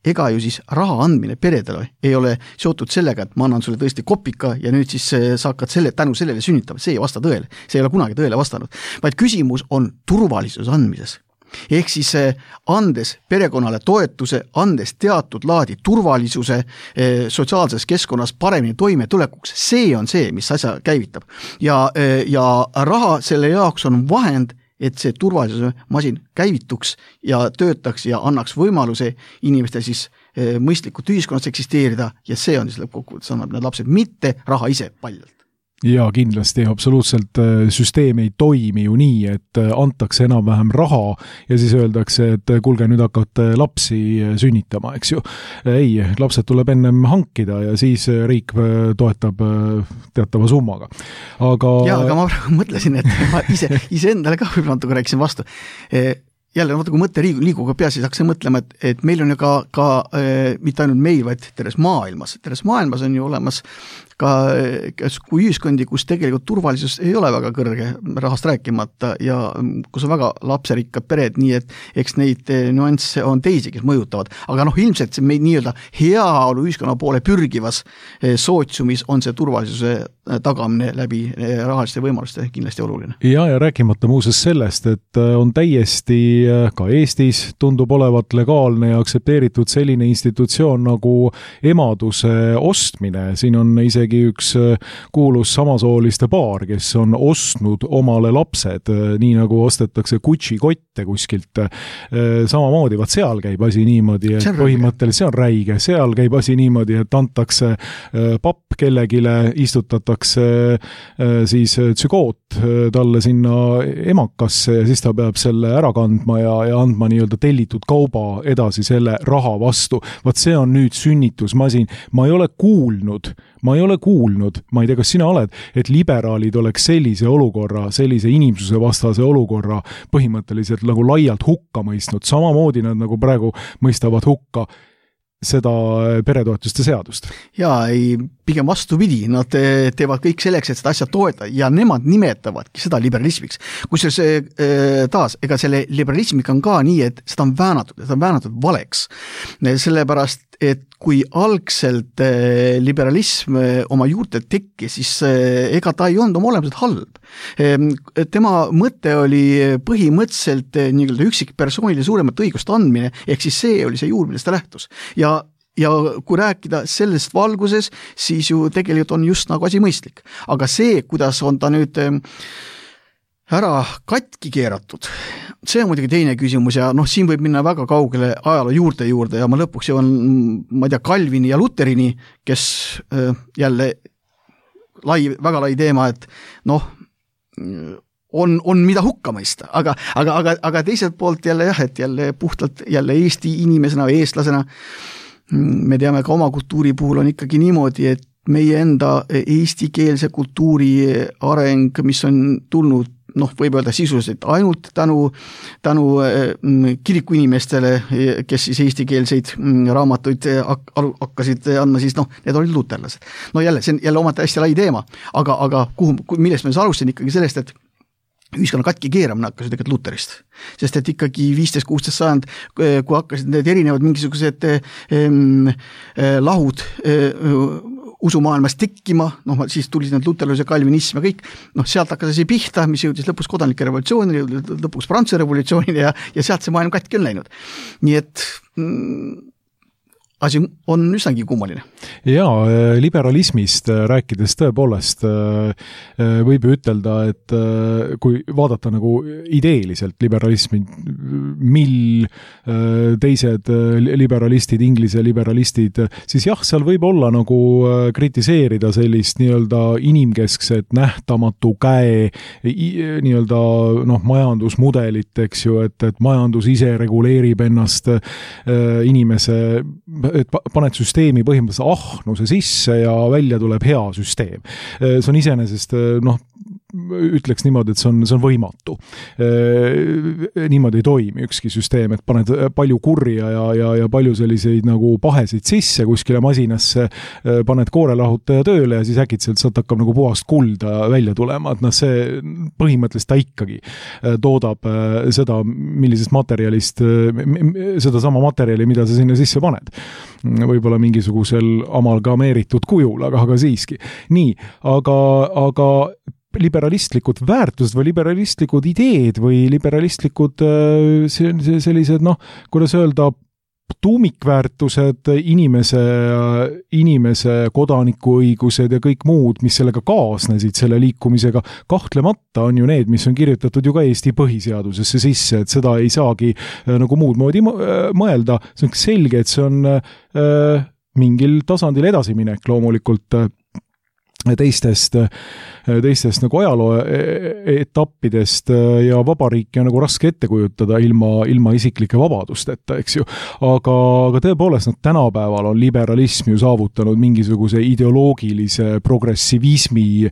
ega ju siis raha andmine peredele ei ole seotud sellega, et ma annan sulle tõesti kopika ja nüüd siis sa hakkad tänu sellele sünnitama. See ei vasta tõele. See ei ole kunagi tõele vastanud. Vaid küsimus on turvalisuse andmises. ehk siis andes perekonnale toetuse, andes teatud laadi turvalisuse sotsiaalses keskkonnas paremini toimetulekuks, see on see, mis asja käivitab. Ja raha selle jaoks on vahend, et see turvalisuse masin käivituks ja töötaks ja annaks võimaluse inimestel siis mõistlikult ühiskonnas eksisteerida ja see on siis lõppkokkuvõttes annab need lapsed, mitte raha ise paljalt. Ja kindlasti absoluutselt süsteem ei toimi ju nii, et antakse enam-vähem raha ja siis öeldakse, et kuulge, nüüd hakkate lapsi sünnitama, eks ju. Ei, lapsed tuleb ennem hankida ja siis riik toetab teatava summaga. Aga ma mõtlesin, et ma ise endale ka võib-olla natuke rääkisin vastu. Jälle, kui mõte liiguga peas, siis hakkasin mõtlema, et meil on ju ka mitte ainult meil, vaid terves maailmas. Terves maailmas on ju olemas ka kui ühiskondi, kus tegelikult turvalisus ei ole väga kõrge, rahast rääkimata ja kus on väga lapserikkad pered, nii et eks neid nüansse on teisi, kes mõjutavad. Aga ilmselt see meid nii-öelda heaolu ühiskonna poole pürgivas sootsiumis on see turvalisuse tagamine läbi rahaliste võimaluste kindlasti oluline. Ja rääkimata muuses sellest, et on täiesti ka Eestis tundub olevat legaalne ja aksepteeritud selline institutsioon nagu emaduse ostmine. Siin on isegi üks kuulus samasooliste paar, kes on ostnud omale lapsed, nii nagu ostetakse Gucci kotte kuskilt. Samamoodi, vaat seal käib asi niimoodi, et põhimõtteliselt see on räige. Seal käib asi niimoodi, et antakse papp kellegile, istutatakse siis tsügoot talle sinna emakasse ja siis ta peab selle ära kandma ja andma nii-öelda tellitud kauba edasi selle raha vastu. Vaat see on nüüd sünnitusmasin. Ma ei ole kuulnud, ma ei tea, kas sina oled, et liberaalid oleks sellise olukorra, sellise inimsuse vastase olukorra põhimõtteliselt nagu laialt hukka mõistnud. Samamoodi nad nagu praegu mõistavad hukka seda peretoetuste seadust. Jaa, pigem vastupidi, nad teevad kõik selleks, et seda asja toeta ja nemad nimetavadki seda liberalismiks. Kusjuures taas, ega selle liberalismiga on ka nii, et seda on väänatud valeks. Sellepärast, et kui algselt liberalism oma juurte tekkis, siis ega ta ei olnud oma olemuselt halb. Tema mõte oli põhimõtteliselt nii-öelda üksikpersoonile suuremat õigust andmine, ehk siis see oli see juur, millest ta lähtus. Ja kui rääkida sellest valguses, siis ju tegelikult on just nagu asi mõistlik. Aga see, kuidas on ta nüüd ära katki keeratud, see on muidugi teine küsimus ja siin võib minna väga kaugele ajaloo juurde ja ma lõpuks jõuan, ma ei tea, Calvini ja Lutherini, kes jälle väga lai teema, et on mida hukka mõista, aga teiselt poolt jälle jah, et jälle puhtalt jälle Eesti inimesena või eestlasena me teame ka oma kultuuri puhul on ikkagi niimoodi, et meie enda eestikeelse kultuuri areng, mis on tulnud võib öelda sisuliselt ainult tänu kiriku inimestele, kes siis eestikeelseid raamatuid hakkasid andma, siis need olid luterlased. Jälle, see on jälle omalt hästi lai teema, aga millest me alustasin ikkagi sellest, et ühiskonna katki keeramine hakkas ju tegelikult Luterist. Sest et ikkagi 15-16 sajand, kui hakkasid need erinevad mingisugused lahud usumaailmas tekkima, siis tuli need luterlus ja kalvinism ja kõik, sealt hakkas asi pihta, mis jõudis lõpuks kodanike revolutsioonile, lõpuks Prantsuse revolutsioonile ja sealt see maailm katki on läinud. Nii et asi on üsnagi kummaline. Jaa, liberalismist rääkides tõepoolest võib ütelda, et kui vaadata nagu ideeliselt liberalismi, mil teised liberalistid, inglise liberalistid, siis jah, seal võib olla nagu kritiseerida sellist nii-öelda inimkeskset nähtamatu käe nii-öelda majandusmudelit, eks ju, et majandus ise reguleerib ennast inimese et paned süsteemi põhimõtteliselt ahnuse sisse ja välja tuleb hea süsteem. See on iseenesest, ütleks niimoodi, et see on võimatu. Niimoodi ei toimi ükski süsteem, et paned palju kurja ja palju selliseid nagu pahesid sisse kuskile masinasse, paned koorelahutaja tööle ja siis äkitselt sealt hakkab nagu puhast kulda välja tulema, et see põhimõtteliselt ta ikkagi toodab seda, millisest materjalist, seda sama materjali, mida sa sinna sisse paned. Võib-olla mingisugusel amalgameeritud kujul, aga siiski. Nii, aga liberalistlikud väärtused või liberalistlikud ideed või liberalistlikud sellised, kuidas öelda, tuumikväärtused, inimese kodanikuõigused ja kõik muud, mis sellega kaasnesid selle liikumisega, kahtlemata on ju need, mis on kirjutatud ju ka Eesti põhiseadusesse sisse, et seda ei saagi nagu muud moodi mõelda. See on selge, et see on mingil tasandil edasiminek loomulikult teistest nagu ajaloo etappidest ja vabariiki on nagu raske ette kujutada ilma isiklike vabadusteta, eks ju. Aga tõepoolest, tänapäeval on liberalism ju saavutanud mingisuguse ideoloogilise progressivismi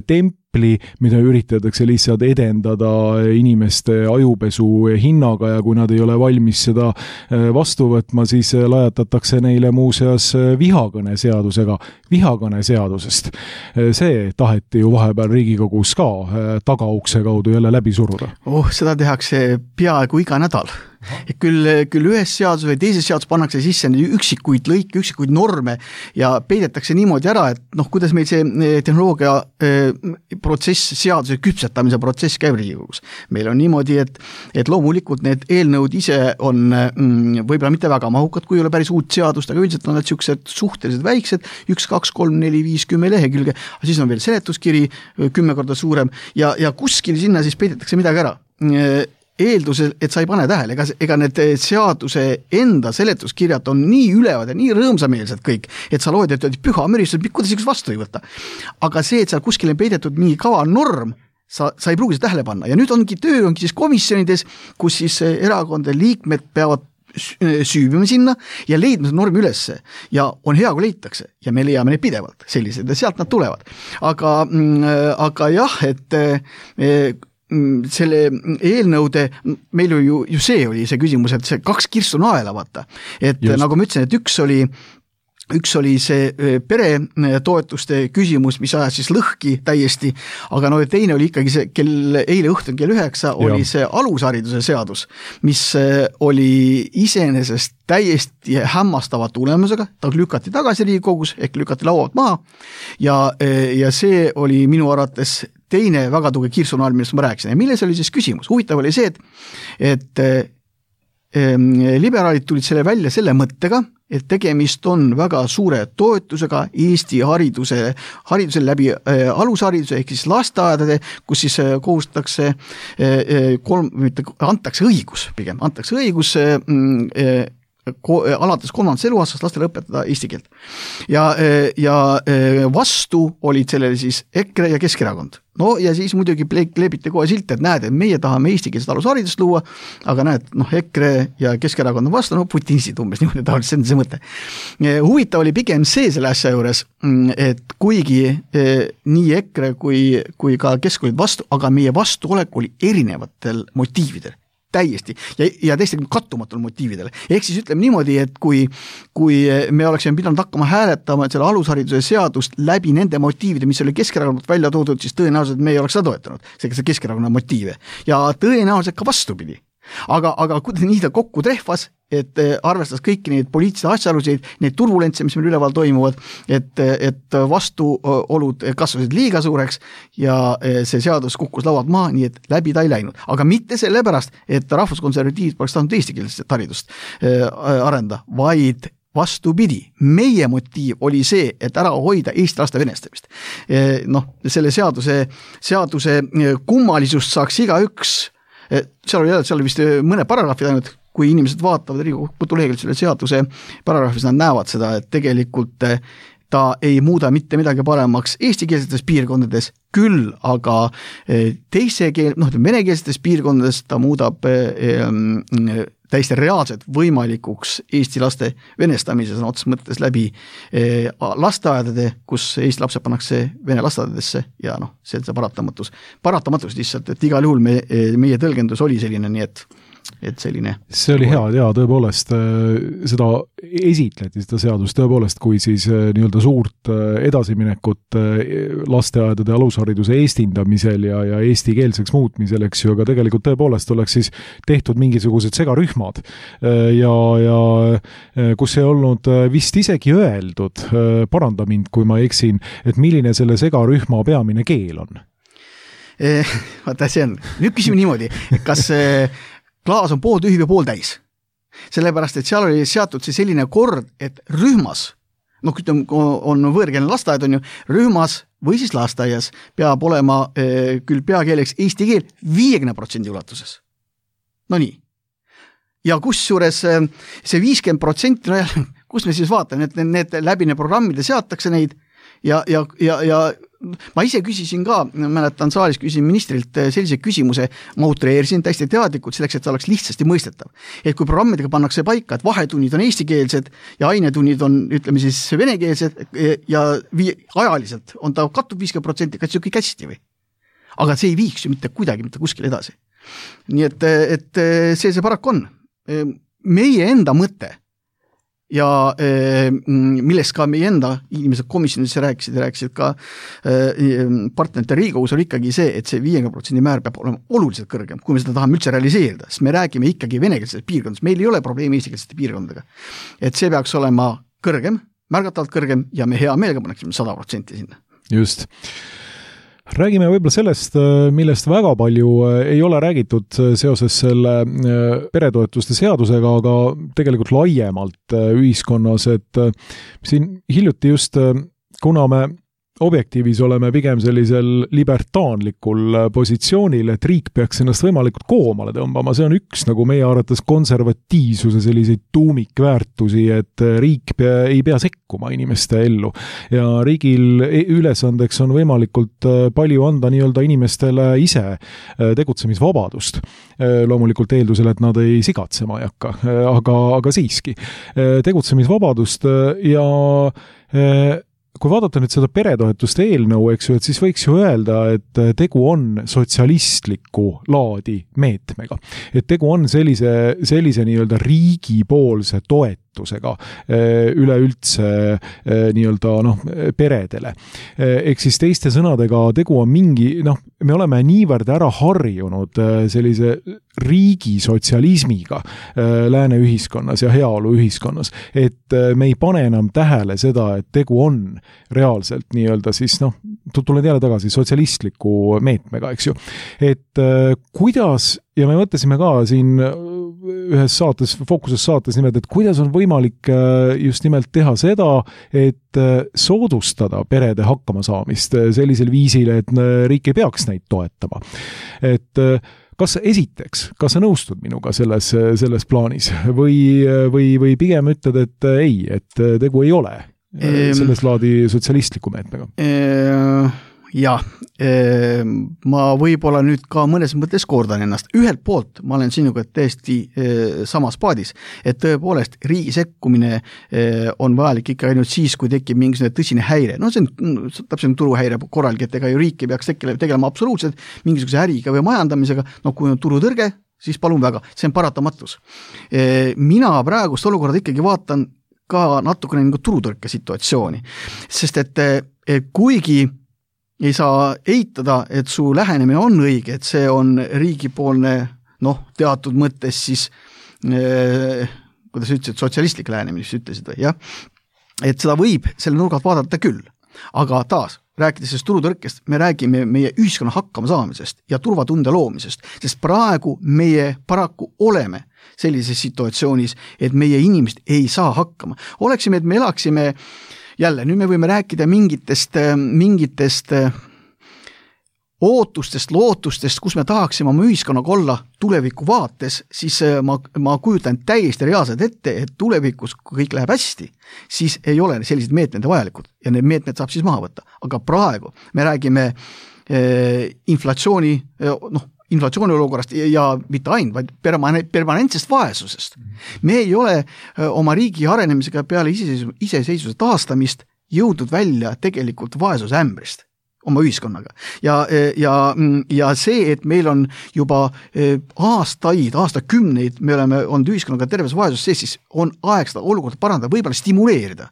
templi, mida üritatakse lihtsalt edendada inimeste ajupesu hinnaga ja kui nad ei ole valmis seda vastu võtma, siis lajatatakse neile muuseas vihakõneseadusest. See taheti ju vahepeal Riigikogus ka tagaukse kaudu jälle läbi suruda. Seda tehakse peaaegu iga nädal. Küll ühes seadus või teises seadus pannakse sisse üksikuid lõike, üksikuid norme ja peidetakse niimoodi ära, et kuidas meil see tehnoloogia protsess, seaduse küpsetamise protsess käib Riigikogus. Meil on niimoodi, et loomulikult need eelnõud ise on võib-olla mitte väga mahukad, kui ei ole päris uut seadust, aga üldiselt on need siuksed suhteliselt väiksed, 1, 2, 3, 4, 5, 10 lehekülge, aga siis on veel seletuskiri 10 korda suurem ja kuskil sinna siis peidetakse midagi ära. Eeldusel, et sa ei pane tähele, ega need seaduse enda seletuskirjad on nii ülevad ja nii rõõmsameelsed kõik, et sa loed, et püha müristus, kuidas üks vastu ei võta. Aga see, et seal kuskil on peidetud nii kava norm, sa ei pruugi seda tähele panna. Ja nüüd ongi siis komisjonides, kus siis erakondade liikmed peavad süübima sinna ja leidma seda normi ülesse. Ja on hea, kui leitakse. Ja me leiame neid pidevalt sellised ja sealt nad tulevad. Aga jah, et selle eelnõude, meil ju see oli see küsimus, et see 2 kirstu naela, vaata. Et just. Nagu ma ütlesin, et üks oli see peretoetuste küsimus, mis ajas siis lõhki täiesti, aga teine oli ikkagi see, eile õhtul kell 9 oli see alushariduse seadus, mis oli iseenesest täiesti hämmastava tulemusega, ta lükati tagasi Riigikogus, ehk lükati laualt maha ja see oli minu arvates teine väga tugev kirsunaal, millest ma rääkisin. Ja milles oli siis küsimus? Huvitav oli see, et liberaalid tulid selle välja selle mõttega, et tegemist on väga suure toetusega Eesti hariduse läbi alushariduse ehk siis lasteaedade, kus siis kohustatakse antakse õigus alates 3. eluaastast lastele õpetada eesti keelt. Ja vastu olid sellele siis EKRE ja Keskerakond. No ja siis muidugi leebiti kohe silt, et näed, et meie tahame eestikeelset alusharidust luua, aga näed, EKRE ja Keskerakond on vastu, putinistid umbes niimoodi tahavad, see on see mõte. Huvitav oli pigem see selle asja juures, et kuigi nii EKRE kui ka Kesk olid vastu, aga meie vastuolek oli erinevatel motiividel. Täiesti ja täiesti kattumatul motiividele. Ehk siis ütleme niimoodi, et kui me oleksime pidanud hakkama hääletama selle alushariduse seadust läbi nende motiivide, mis oli Keskerakonnalt välja toodud, siis tõenäoliselt me ei oleks seda toetanud, see Keskerakonna motiive. Ja tõenäoliselt ka vastupidi. Aga kuidas nii ta kokku trehvas, et arvestas kõiki neid poliitilisi asjaolusid, neid turbulentse, mis meil üleval toimuvad, et vastuolud kasvasid liiga suureks ja see seadus kukkus laualt maha, nii et läbi ta ei läinud. Aga mitte sellepärast, et rahvuskonservatiivid poleks tahtnud eestikeelset haridust arenda, vaid vastupidi, meie motiiv oli see, et ära hoida Eesti laste venestamist. Selle seaduse kummalisust saaks igaüks, seal oli vist mõne paragrahvid ainult, kui inimesed vaatavad Riigikogu koduleheküljelt selle seaduse paragrahvis, nad näevad seda, et tegelikult ta ei muuda mitte midagi paremaks eestikeelsetes piirkondades, küll aga venekeelsetes piirkondades ta muudab täiesti reaalselt võimalikuks Eesti laste venestamises otses mõttes läbi lasteaedade, kus Eesti lapsed pannakse vene lasteaedadesse ja see on see paratamatus lihtsalt, et igal juhul meie tõlgendus oli selline, nii et selline. See oli hea, tõepoolest seda esitleti, seda seadust tõepoolest, kui siis nii-öelda suurt edasiminekut lasteaedade alushariduse eestindamisel ja eestikeelseks muutmisel, eks ju, aga tegelikult tõepoolest oleks siis tehtud mingisugused segarühmad ja kus ei olnud vist isegi öeldud, paranda mind, kui ma eksin, et milline selle segarühma peamine keel on. Vaata, see on. Nüüd küsime niimoodi, kas klaas on pooltühi või pooltäis. Sellepärast, et seal oli seatud see selline kord, et rühmas, on võõrkeelne lasteaed, on ju, rühmas või siis lasteaias peab olema küll peakeeleks eesti keel 50% ulatuses. No nii. Ja kusjuures see 50%, no jälle, kus me siis vaatame, et need läbine programmide seatakse neid ja ma ise küsisin ka, mäletan saalis küsisin ministrilt sellise küsimuse, ma utreerisin täiesti teadlikult selleks, et see oleks lihtsasti mõistetav. Et kui programmidega pannakse paika, et vahetunnid on eestikeelsed ja ainetunnid on, ütleme siis, venekeelsed ja ajaliselt on ta kattub 50%, kas see kõik hästi või? Aga see ei viiks ju mitte kuidagi mitte kuskile edasi. Nii et see paraku on. Meie enda mõte ja millest ka meie enda inimesed komisjonis rääkisid ka partnerite Riigikogus on ikkagi see, et see 50% määr peab olema oluliselt kõrgem, kui me seda tahame üldse realiseerida, sest me räägime ikkagi venekeelsetest piirkondadest, meil ei ole probleemi eestikeelsete piirkondadega. Et see peaks olema kõrgem, märgatavalt kõrgem ja me hea meelega paneksime 100% sinna. Just. Räägime võib-olla sellest, millest väga palju ei ole räägitud seoses selle peretoetuste seadusega, aga tegelikult laiemalt ühiskonnas, et siin hiljuti just, kuna me objektiivis oleme pigem sellisel libertaanlikul positsioonil, et riik peaks ennast võimalikult koomale tõmbama, see on üks nagu meie arvates konservatiivsuse selliseid tuumikväärtusi, et riik ei pea sekkuma inimeste ellu ja riigil ülesandeks on võimalikult palju anda nii-öelda inimestele ise tegutsemisvabadust. Loomulikult eeldusel, et nad ei sigatsema ei hakka, aga siiski tegutsemisvabadust ja kui vaadata nüüd seda peretoetuste eelnõu, eks ju, et siis võiks ju öelda, et tegu on sotsialistliku laadi meetmega. Et tegu on sellise nii-öelda riigipoolse toetusega üleüldse nii-öelda peredele. Ehk siis teiste sõnadega tegu on mingi, me oleme niivõrd ära harjunud sellise riigi sotsialismiga lääne ühiskonnas ja heaolu ühiskonnas, et me ei pane enam tähele seda, et tegu on reaalselt nii-öelda siis, tulen jälle tagasi sotsialistliku meetmega, eks ju. Et kuidas, ja me mõtlesime ka siin ühes saates, fookuses saates nimelt, et kuidas on võimalik just nimelt teha seda, et soodustada perede hakkamasaamist sellisel viisil, et riik ei peaks neid toetama. Et kas sa nõustud minuga selles plaanis või pigem ütled, et ei, et tegu ei ole selles laadi sotsialistliku meetmega? Jah, ma võib-olla nüüd ka mõnes mõttes kordan ennast. Ühelt poolt ma olen sinuga täiesti samas paadis, et tõepoolest riigi sekkumine on vajalik ikka ainult siis, kui tekib mingisugune tõsine häire. See on täpselt turuhäire korralgi, et ega ju riik ei peaks tegelema absoluutselt mingisuguse äriga või majandamisega. Kui on turutõrge, siis palun väga, see on paratamatus. Mina praegust olukorda ikkagi vaatan ka natukene nagu turutõrke situatsiooni, sest et kuigi ei saa eitada, et su lähenemine on õige, et see on riigipoolne, teatud mõttes siis, kuidas ütlesid, sotsialistlik lähenemine, mis ütlesid või, jah, et seda võib selle nurgalt vaadata küll, aga taas, rääkides sellest turutõrkest, me räägime meie ühiskonna hakkama saamisest ja turvatunde loomisest, sest praegu meie paraku oleme sellises situatsioonis, et meie inimesed ei saa hakkama. Oleksime, et me elaksime jälle, nüüd me võime rääkida mingitest ootustest, lootustest, kus me tahaksime oma ühiskonnaga olla tuleviku vaates, siis ma kujutan täiesti reaalselt ette, et tulevikus, kui kõik läheb hästi, siis ei ole sellised meetmed vajalikud ja need meetmed saab siis maha võtta. Aga praegu me räägime inflatsiooni olukorrast ja mitte ainult, vaid permanentsest vaesusest. Me ei ole oma riigi arenemisega peale iseseisvuse taastamist jõudnud välja tegelikult vaesusämbrist oma ühiskonnaga. Ja see, et meil on juba aastakümneid, me oleme olnud ühiskonnaga terves vaesus sees, siis on aeg seda olukorda parandada, võib-olla stimuleerida.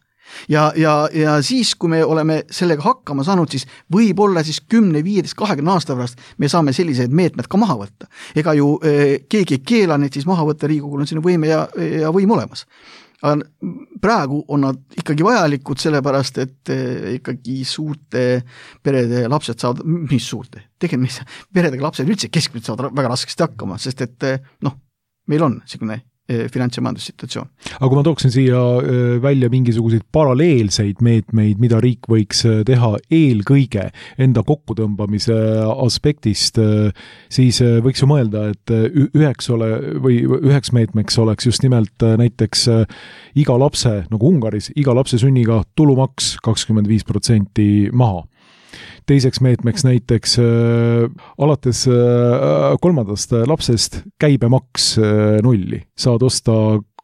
Ja siis, kui me oleme sellega hakkama saanud, siis võib-olla siis 10, 15, 20 aasta pärast me saame sellised meetmed ka maha võtta. Ega ju keegi ei keela neid siis maha võtta, Riigikogul on sinna võime ja võim olemas. aga praegu on nad ikkagi vajalikud, sellepärast et ikkagi suurte perede lapsed saavad, mis suurte, tegelikult peredega lapsed üldse keskmiselt saavad väga raskesti hakkama, sest et meil on selline finants- ja majandussituatsioon. Aga kui ma tooksin siia välja mingisuguseid paralleelseid meetmeid, mida riik võiks teha eelkõige enda kokkutõmbamise aspektist, siis võiks ju mõelda, et üheks meetmeks oleks just nimelt näiteks iga lapse, nagu Ungaris, iga lapse sünniga tulumaks 25% maha. Teiseks meetmeks näiteks alates 3. lapsest käibemaks 0. Saad osta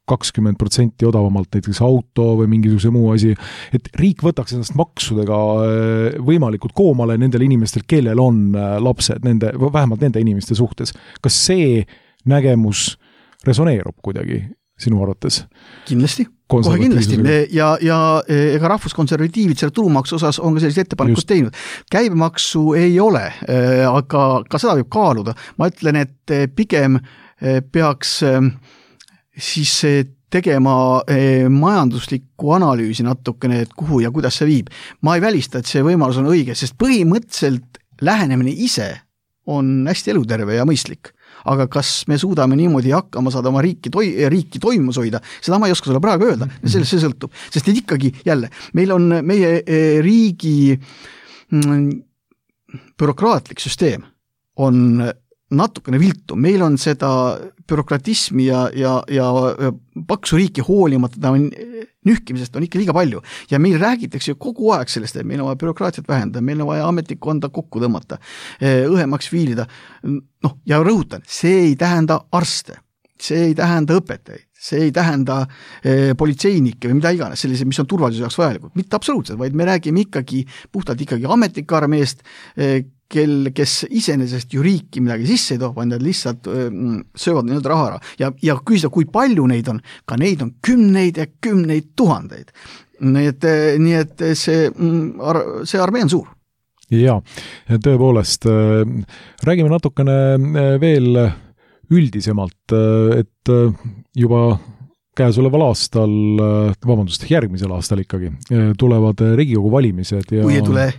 20% odavamalt näiteks auto või mingisuguse muu asi, et riik võtaks ennast maksudega võimalikult koomale nendel inimestel, kellel on lapsed, vähemalt nende inimeste suhtes. Kas see nägemus resoneerub kuidagi sinu arvates? Kindlasti. Kohe kindlasti. Ja ega rahvuskonservatiivid selle tulumaksu osas on ka sellised ettepanekud teinud. Käibemaksu ei ole, aga ka seda võib kaaluda. Ma ütlen, et pigem peaks siis tegema majanduslikku analüüsi natukene, et kuhu ja kuidas see viib. Ma ei välista, et see võimalus on õige, sest põhimõtteliselt lähenemine ise on hästi eluterve ja mõistlik. Aga kas me suudame niimoodi hakkama saada oma riiki toimus hoida, seda ma ei oska sulle praegu öelda, sellest see sõltub. Sest et ikkagi jälle, meil on meie riigi bürokraatlik süsteem on natukene viltu, meil on seda bürokratismi ja paksu riiki hoolimata nühkimisest on ikka liiga palju. Ja meil räägitakse kogu aeg sellest, et meil on vaja bürokraatiat vähendada, meil on vaja ametnikkonda kokku tõmmata, õhemaks viilida. Ja rõhutan, see ei tähenda arste, see ei tähenda õpetajaid, see ei tähenda politseinikke või mida iganes, sellised, mis on turvalisuse jaoks vajalikud. Mitte absoluutselt, vaid me räägime puhtalt ametnikarmeest, kes iseenesest ju riiki midagi sisse ei too, vaid nad lihtsalt söövad neid raha ära. Ja küsida, kui palju neid on, ka neid on kümneid ja kümneid tuhandeid. Nii et see armee on suur. Ja tõepoolest, räägime natukene veel üldisemalt, et juba käesoleval aastal, järgmisel aastal ikkagi, tulevad Riigikogu valimised. Ja kui ei tule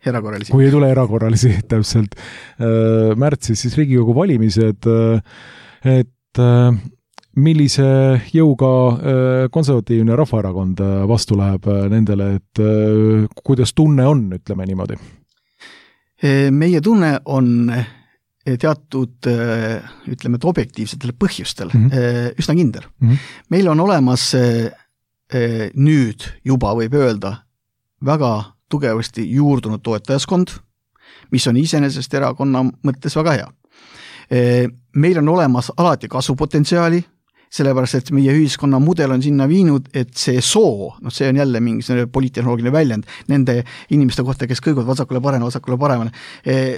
erakorralisi. Kui ei tule erakorralisi, täpselt. Märtsis siis Riigikogu valimised, et millise jõuga konservatiivne Rahvaerakond vastu läheb nendele, et kuidas tunne on, ütleme niimoodi? Meie tunne on teatud, ütleme, et objektiivsetel põhjustel üsna kindel. Meil on olemas nüüd juba võib öelda väga tugevasti juurdunud toetajaskond, mis on iseenesest erakonna mõttes väga hea. Meil on olemas alati kasvupotentsiaali, sellepärast, et meie ühiskonna mudel on sinna viinud, et see soo, see on jälle mingi poliittehnoloogiline väljend, nende inimeste kohta, kes kõiguvad vasakule paremale,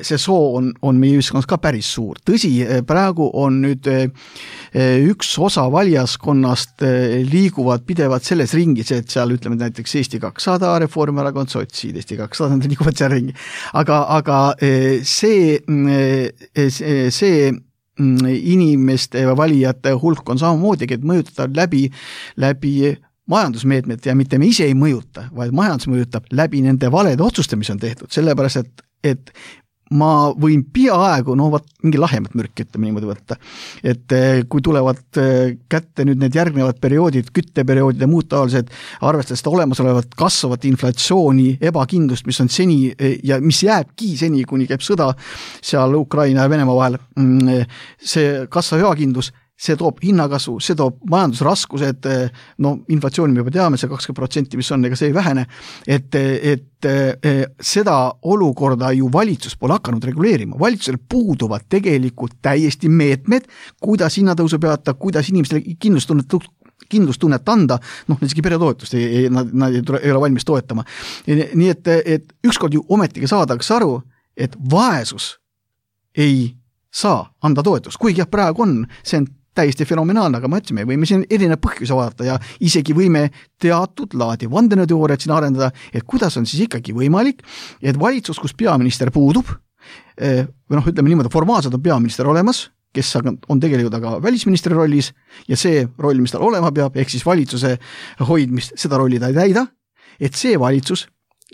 see soo on meie ühiskonnas ka päris suur. Tõsi, praegu on nüüd üks osa valijaskonnast liiguvad pidevalt selles ringis, et seal ütleme näiteks Eesti 200, Reformierakond, sotsid, Eesti 200, nad liiguvad seal ringi. Aga see inimeste ja valijate hulk on samamoodi, et mõjutada läbi majandusmeetmed ja mitte me ise ei mõjuta, vaid majandus mõjutab läbi nende valede otsuste, mis on tehtud, sellepärast, et ma võin peaaegu, mingi lahemat mürki, ütleme niimoodi võtta. Et kui tulevad kätte nüüd need järgnevad perioodid, kütteperioodid ja muud taolised, arvestades seda olemasolevat kasvavat inflatsiooni, ebakindlust, mis on seni ja mis jääbki seni, kuni käib sõda seal Ukraina ja Venemaa vahel, see kasvav ebakindlus, see toob hinnakasvu, see toob majandusraskused, inflatsiooni me juba teame, see 20%, mis on, ega see ei vähene, et seda olukorda ju valitsus pole hakanud reguleerima. Valitsusel puuduvad tegelikult täiesti meetmed, kuidas hinnatõusu peata, kuidas inimestele kindlustunnet anda, isegi peretoetust nad ei ole valmis toetama. Nii et ükskord ju ometigi saadakse aru, et vaesus ei saa anda toetust, kuigi jah, praegu on, see on täiesti fenomenaalne, aga ma ütlen, me võime siin erinev põhjuse vaadata ja isegi võime teatud laadi vandenõuteooriat siin arendada, et kuidas on siis ikkagi võimalik, et valitsus, kus peaminister puudub, ütleme niimoodi, formaalselt on peaminister olemas, kes on tegelikult aga välisministri rollis ja see roll, mis tal olema peab, ehk siis valitsuse hoidmist, seda rolli ta ei täida, et see valitsus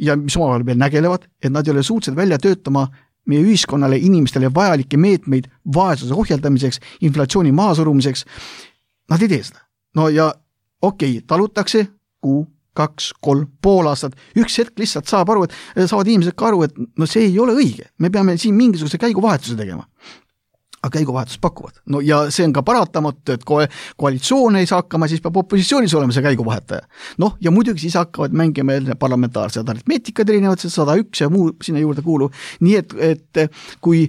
ja mis omavahel veel nägelevad, et nad ei ole suutsed välja töötama meie ühiskonnale, inimestele vajalikke meetmeid vaesuse ohjeldamiseks, inflatsiooni maasurumiseks, nad ei tee seda. No ja talutakse kuu, 2, 3, pool aastat, üks hetk lihtsalt saavad inimesed ka aru, et no see ei ole õige, me peame siin mingisuguse käiguvahetuse tegema. Aga käiguvahetust pakuvad. No ja see on ka paratamatu, et koalitsioon ei saa hakkama, siis peab opositsioonis olema see käiguvahetaja. Noh, ja muidugi siis hakkavad mängima parlamentaarsed aritmeetikad erinevad, 101 ja muu sinna juurde kuuluv. Nii et kui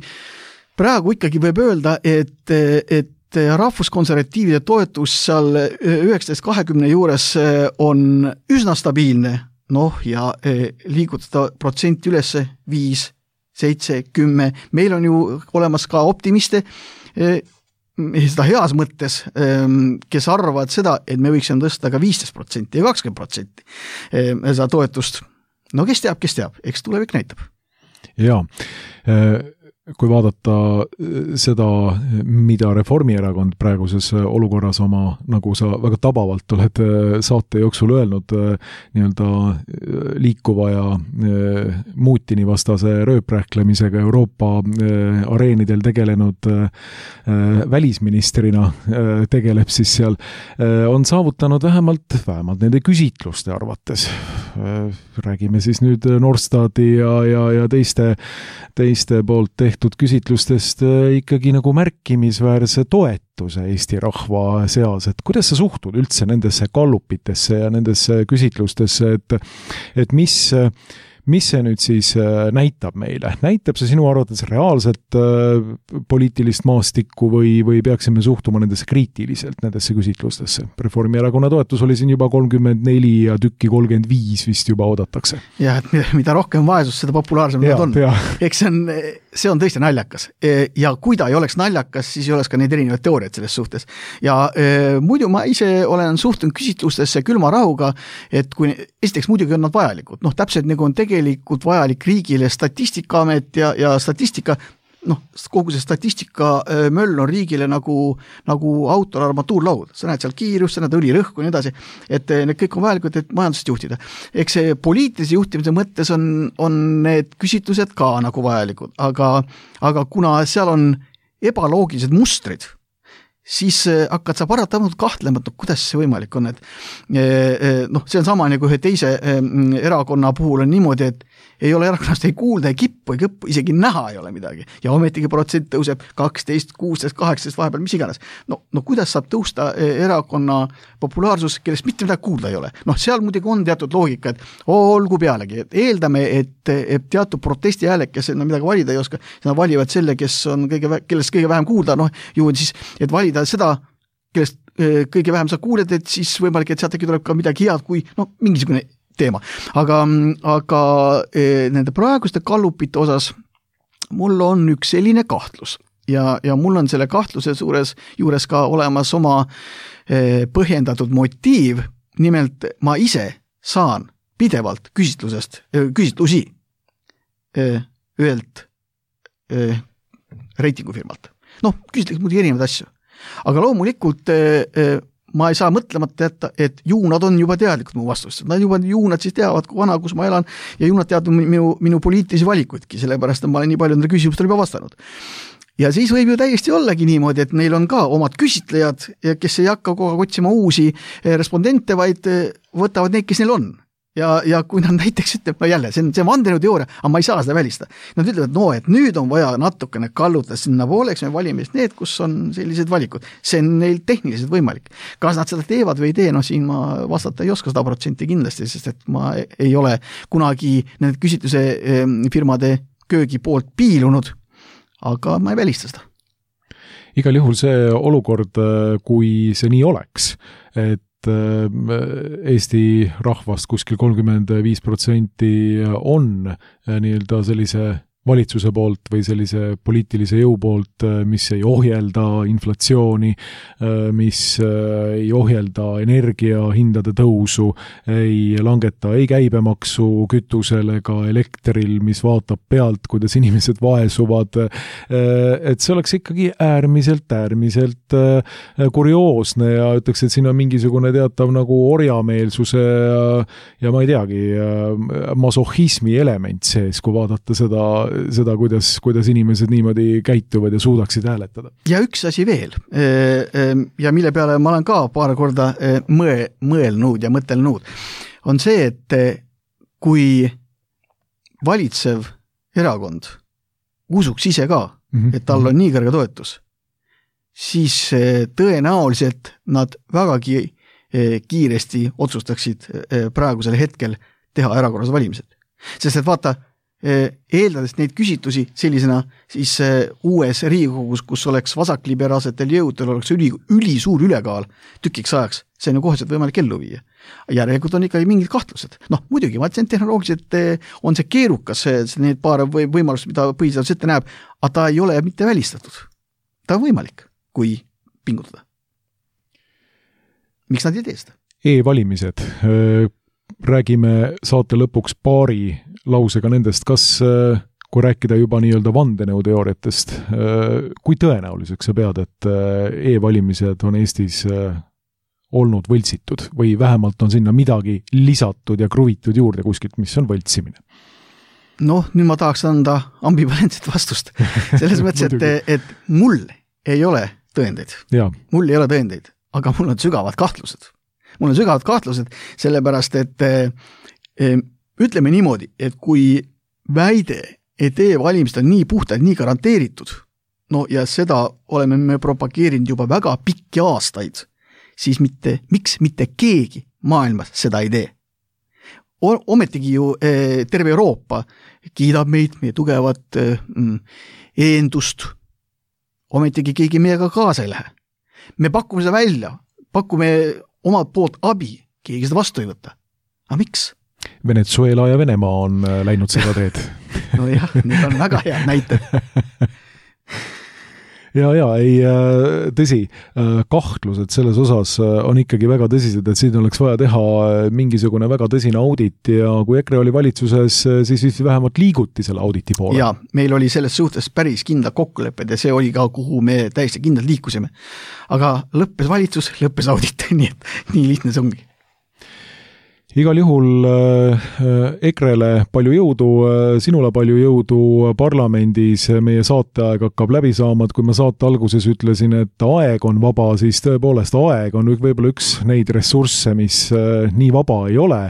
praegu ikkagi võib öelda, et rahvuskonservatiivide toetus seal 19-20 juures on üsna stabiilne, noh ja liigutada protsenti üles 5, 7, 10, meil on ju olemas ka optimiste, seda heas mõttes, kes arvavad seda, et me võiksime tõsta ka 15% ja 20% seda toetust. No kes teab, eks tulevik näitab. Jaa, kui vaadata seda, mida Reformierakond praeguses olukorras oma, nagu sa väga tabavalt oled saate jooksul öelnud, nii-öelda liikuva ja Mutini vastase rööprähklemisega Euroopa areenidel tegelenud välisministrina tegeleb siis seal, on saavutanud vähemalt nende küsitluste arvates. Räägime siis nüüd Norstati ja teiste poolt tehtud küsitlustest ikkagi nagu märkimisväärse toetuse Eesti rahva seas, et kuidas sa suhtud üldse nendesse gallupitesse ja nendesse küsitlustesse, et mis see nüüd siis näitab meile? Näitab see sinu arvates reaalselt poliitilist maastikku või peaksime suhtuma nendesse kriitiliselt, nendesse küsitlustesse? Reformierakonna toetus oli siin juba 34 ja tükki 35 vist juba oodatakse. Ja, et mida rohkem vaesus, seda populaarsem nad on. Eks see on tõesti naljakas. Ja kui ta ei oleks naljakas, siis ei oleks ka neid erinevaid teooriaid selles suhtes. Ja muidu ma ise olen suhtunud küsitlustesse külma rahuga, et kui esiteks muidugi on nad vajalikud. Noh, täpselt nagu on tegelikult vajalik riigile Statistikaamet ja statistika, kogu see statistika möll on riigile nagu autor armatuurlaud. Sa näed seal kiirust, sa näed õlirõhku ja nii edasi, et need kõik on vajalikud, et majandust juhtida. Eks see poliitilise juhtimise mõttes on need küsitlused ka nagu vajalikud, aga kuna seal on ebaloogilised mustrid, siis hakkad sa paratamatult kahtlema, kuidas see võimalik on, et see on sama nagu ühe teise erakonna puhul on niimoodi, et ei ole erakonnast ei kuulda, ei kippu, isegi näha ei ole midagi. Ja ometigi protsent tõuseb 12, 16, 18, vahepeal mis iganes. No kuidas saab tõusta erakonna populaarsus, kellest mitte midagi kuulda ei ole? Seal muidugi on teatud loogika, et olgu pealegi, et eeldame, et teatud protesti hääled, kes midagi valida ei oska, nad valivad selle, kellest kõige vähem kuulda, juhul siis, et valida seda, kellest kõige vähem sa kuuled, et siis võimalik, et sealt äkki tuleb ka midagi head, kui mingisugune teema. Aga nende praeguste gallupite osas mul on üks selline kahtlus ja mul on selle kahtluse juures ka olemas oma põhjendatud motiiv, nimelt ma ise saan pidevalt küsitlusi ühelt reitingufirmalt. Küsitletakse muidugi erinevaid asju. Aga loomulikult ma ei saa mõtlemata jätta, et ju nad on juba teadlikud mu vastust. Ju nad siis teavad, kui vana, kus ma elan ja ju nad teavad minu poliitilisi valikuidki, sellepärast ma olen nii palju nendele küsimustele juba vastanud. Ja siis võib ju täiesti ollagi niimoodi, et neil on ka omad küsitlejad, kes ei hakka kogu aeg otsima uusi respondente, vaid võtavad neid, kes neil on. Ja kui nad näiteks ütleb, jälle, see on vandenõuteooria, aga ma ei saa seda välistada. Nad ütlevad, et nüüd on vaja natukene kallutada sinna pooleks, me valime need, kus on sellised valikud. See on neil tehniliselt võimalik. Kas nad seda teevad või ei tee, siin ma vastata ei oska 100% kindlasti, sest et ma ei ole kunagi need küsitluse firmade köögi poolt piilunud, aga ma ei välista seda. Igal juhul see olukord, kui see nii oleks, et Eesti rahvast kuskil 35% on nii-öelda sellise valitsuse poolt või sellise poliitilise jõu poolt, mis ei ohjelda inflatsiooni, mis ei ohjelda energiahindade tõusu, ei langeta ei käibemaksu kütusel ega elektril, mis vaatab pealt, kuidas inimesed vaesuvad, et see oleks ikkagi äärmiselt kurioosne ja ütleks, et siin on mingisugune teatav nagu orjameelsuse ja ma ei teagi, masohhismi element sees, kui vaadata seda, kuidas inimesed niimoodi käituvad ja suudaksid hääletada. Ja üks asi veel, ja mille peale ma olen ka paar korda mõelnud ja mõtelnud, on see, et kui valitsev erakond usuks ise ka, et tal on nii kõrge toetus, siis tõenäoliselt nad vägagi kiiresti otsustaksid praegusel hetkel teha erakorralised valimised. Sest et vaata, eeldades neid küsitusi sellisena siis uues Riigikogus, kus oleks vasakliberaalsetel jõudel oleks ülisuur ülekaal tükiks ajaks, see on ju koheselt võimalik ellu viia. Järelikult on ikkagi mingid kahtlused. Muidugi, ma ütlesin, tehnoloogiliselt on see keerukas, need paar võimalust, mida põhiseadus ette näeb, aga ta ei ole mitte välistatud. Ta on võimalik, kui pingutada. Miks nad ei tee seda? E-valimised. Räägime saate lõpuks paari lausega nendest, kas, kui rääkida juba nii-öelda vandenõuteooriatest, kui tõenäoliseks sa pead, et e-valimised on Eestis olnud võltsitud või vähemalt on sinna midagi lisatud ja kruvitud juurde kuskilt, mis on võltsimine? Nüüd ma tahaks anda ambivalentset vastust. Selles mõttes, et mul ei ole tõendeid. Mul ei ole tõendeid, aga mul on sügavad kahtlused. Sellepärast, et ütleme niimoodi, et kui väide, et e-valimised on nii puhtalt, nii garanteeritud, ja seda oleme me propageerinud juba väga pikki aastaid, siis miks mitte keegi maailmas seda ei tee? Ometigi ju terve Euroopa kiidab meid, meie tugevat eendust, ometigi keegi meiega kaasa ei lähe. Me pakume seda välja, pakume omalt poolt abi, keegi seda vastu ei võta. Aga miks? Venezuela ja Venemaa on läinud seda teed. Jah, need on väga head näited. Tõsi, kahtlused selles osas on ikkagi väga tõsised, et siin oleks vaja teha mingisugune väga tõsine audit ja kui EKRE oli valitsuses, siis vähemalt liiguti selle auditi poole. Ja meil oli selles suhtes päris kindlad kokkulepped ja see oli ka, kuhu me täiesti kindlalt liikusime. Aga lõppes valitsus, lõppes audit, nii et nii lihtne see ongi. Igal juhul EKRE-le palju jõudu, sinule palju jõudu parlamendis, meie saateaeg hakkab läbi saama, et kui ma saate alguses ütlesin, et aeg on vaba, siis tõepoolest aeg on võib-olla üks neid ressursse, mis nii vaba ei ole,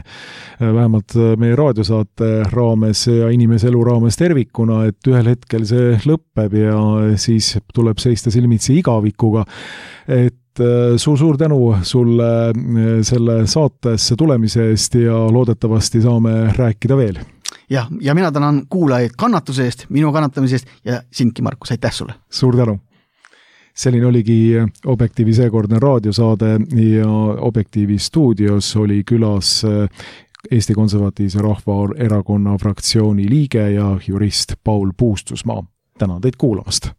vähemalt meie raadiosaate raames ja inimese elu raames tervikuna, et ühel hetkel see lõppeb ja siis tuleb seista silmitsi igavikuga, et suur tänu sulle selle saatesse tulemise eest ja loodetavasti saame rääkida veel. Ja mina tänan kuulajaid kannatuse eest, minu kannatamise eest ja sindki, Markus, aitäh sulle. Suur tänu. Selline oligi Objektiivi seekordne raadiosaade ja Objektiivi stuudios oli külas Eesti Konservatiivse Rahvaerakonna fraktsiooni liige ja jurist Paul Puustusmaa. Tänan teid kuulamast.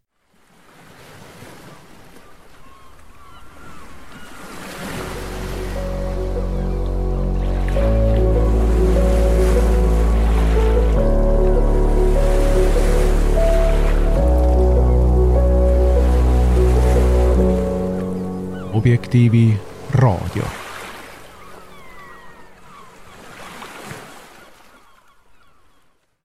Objektiivi raadio.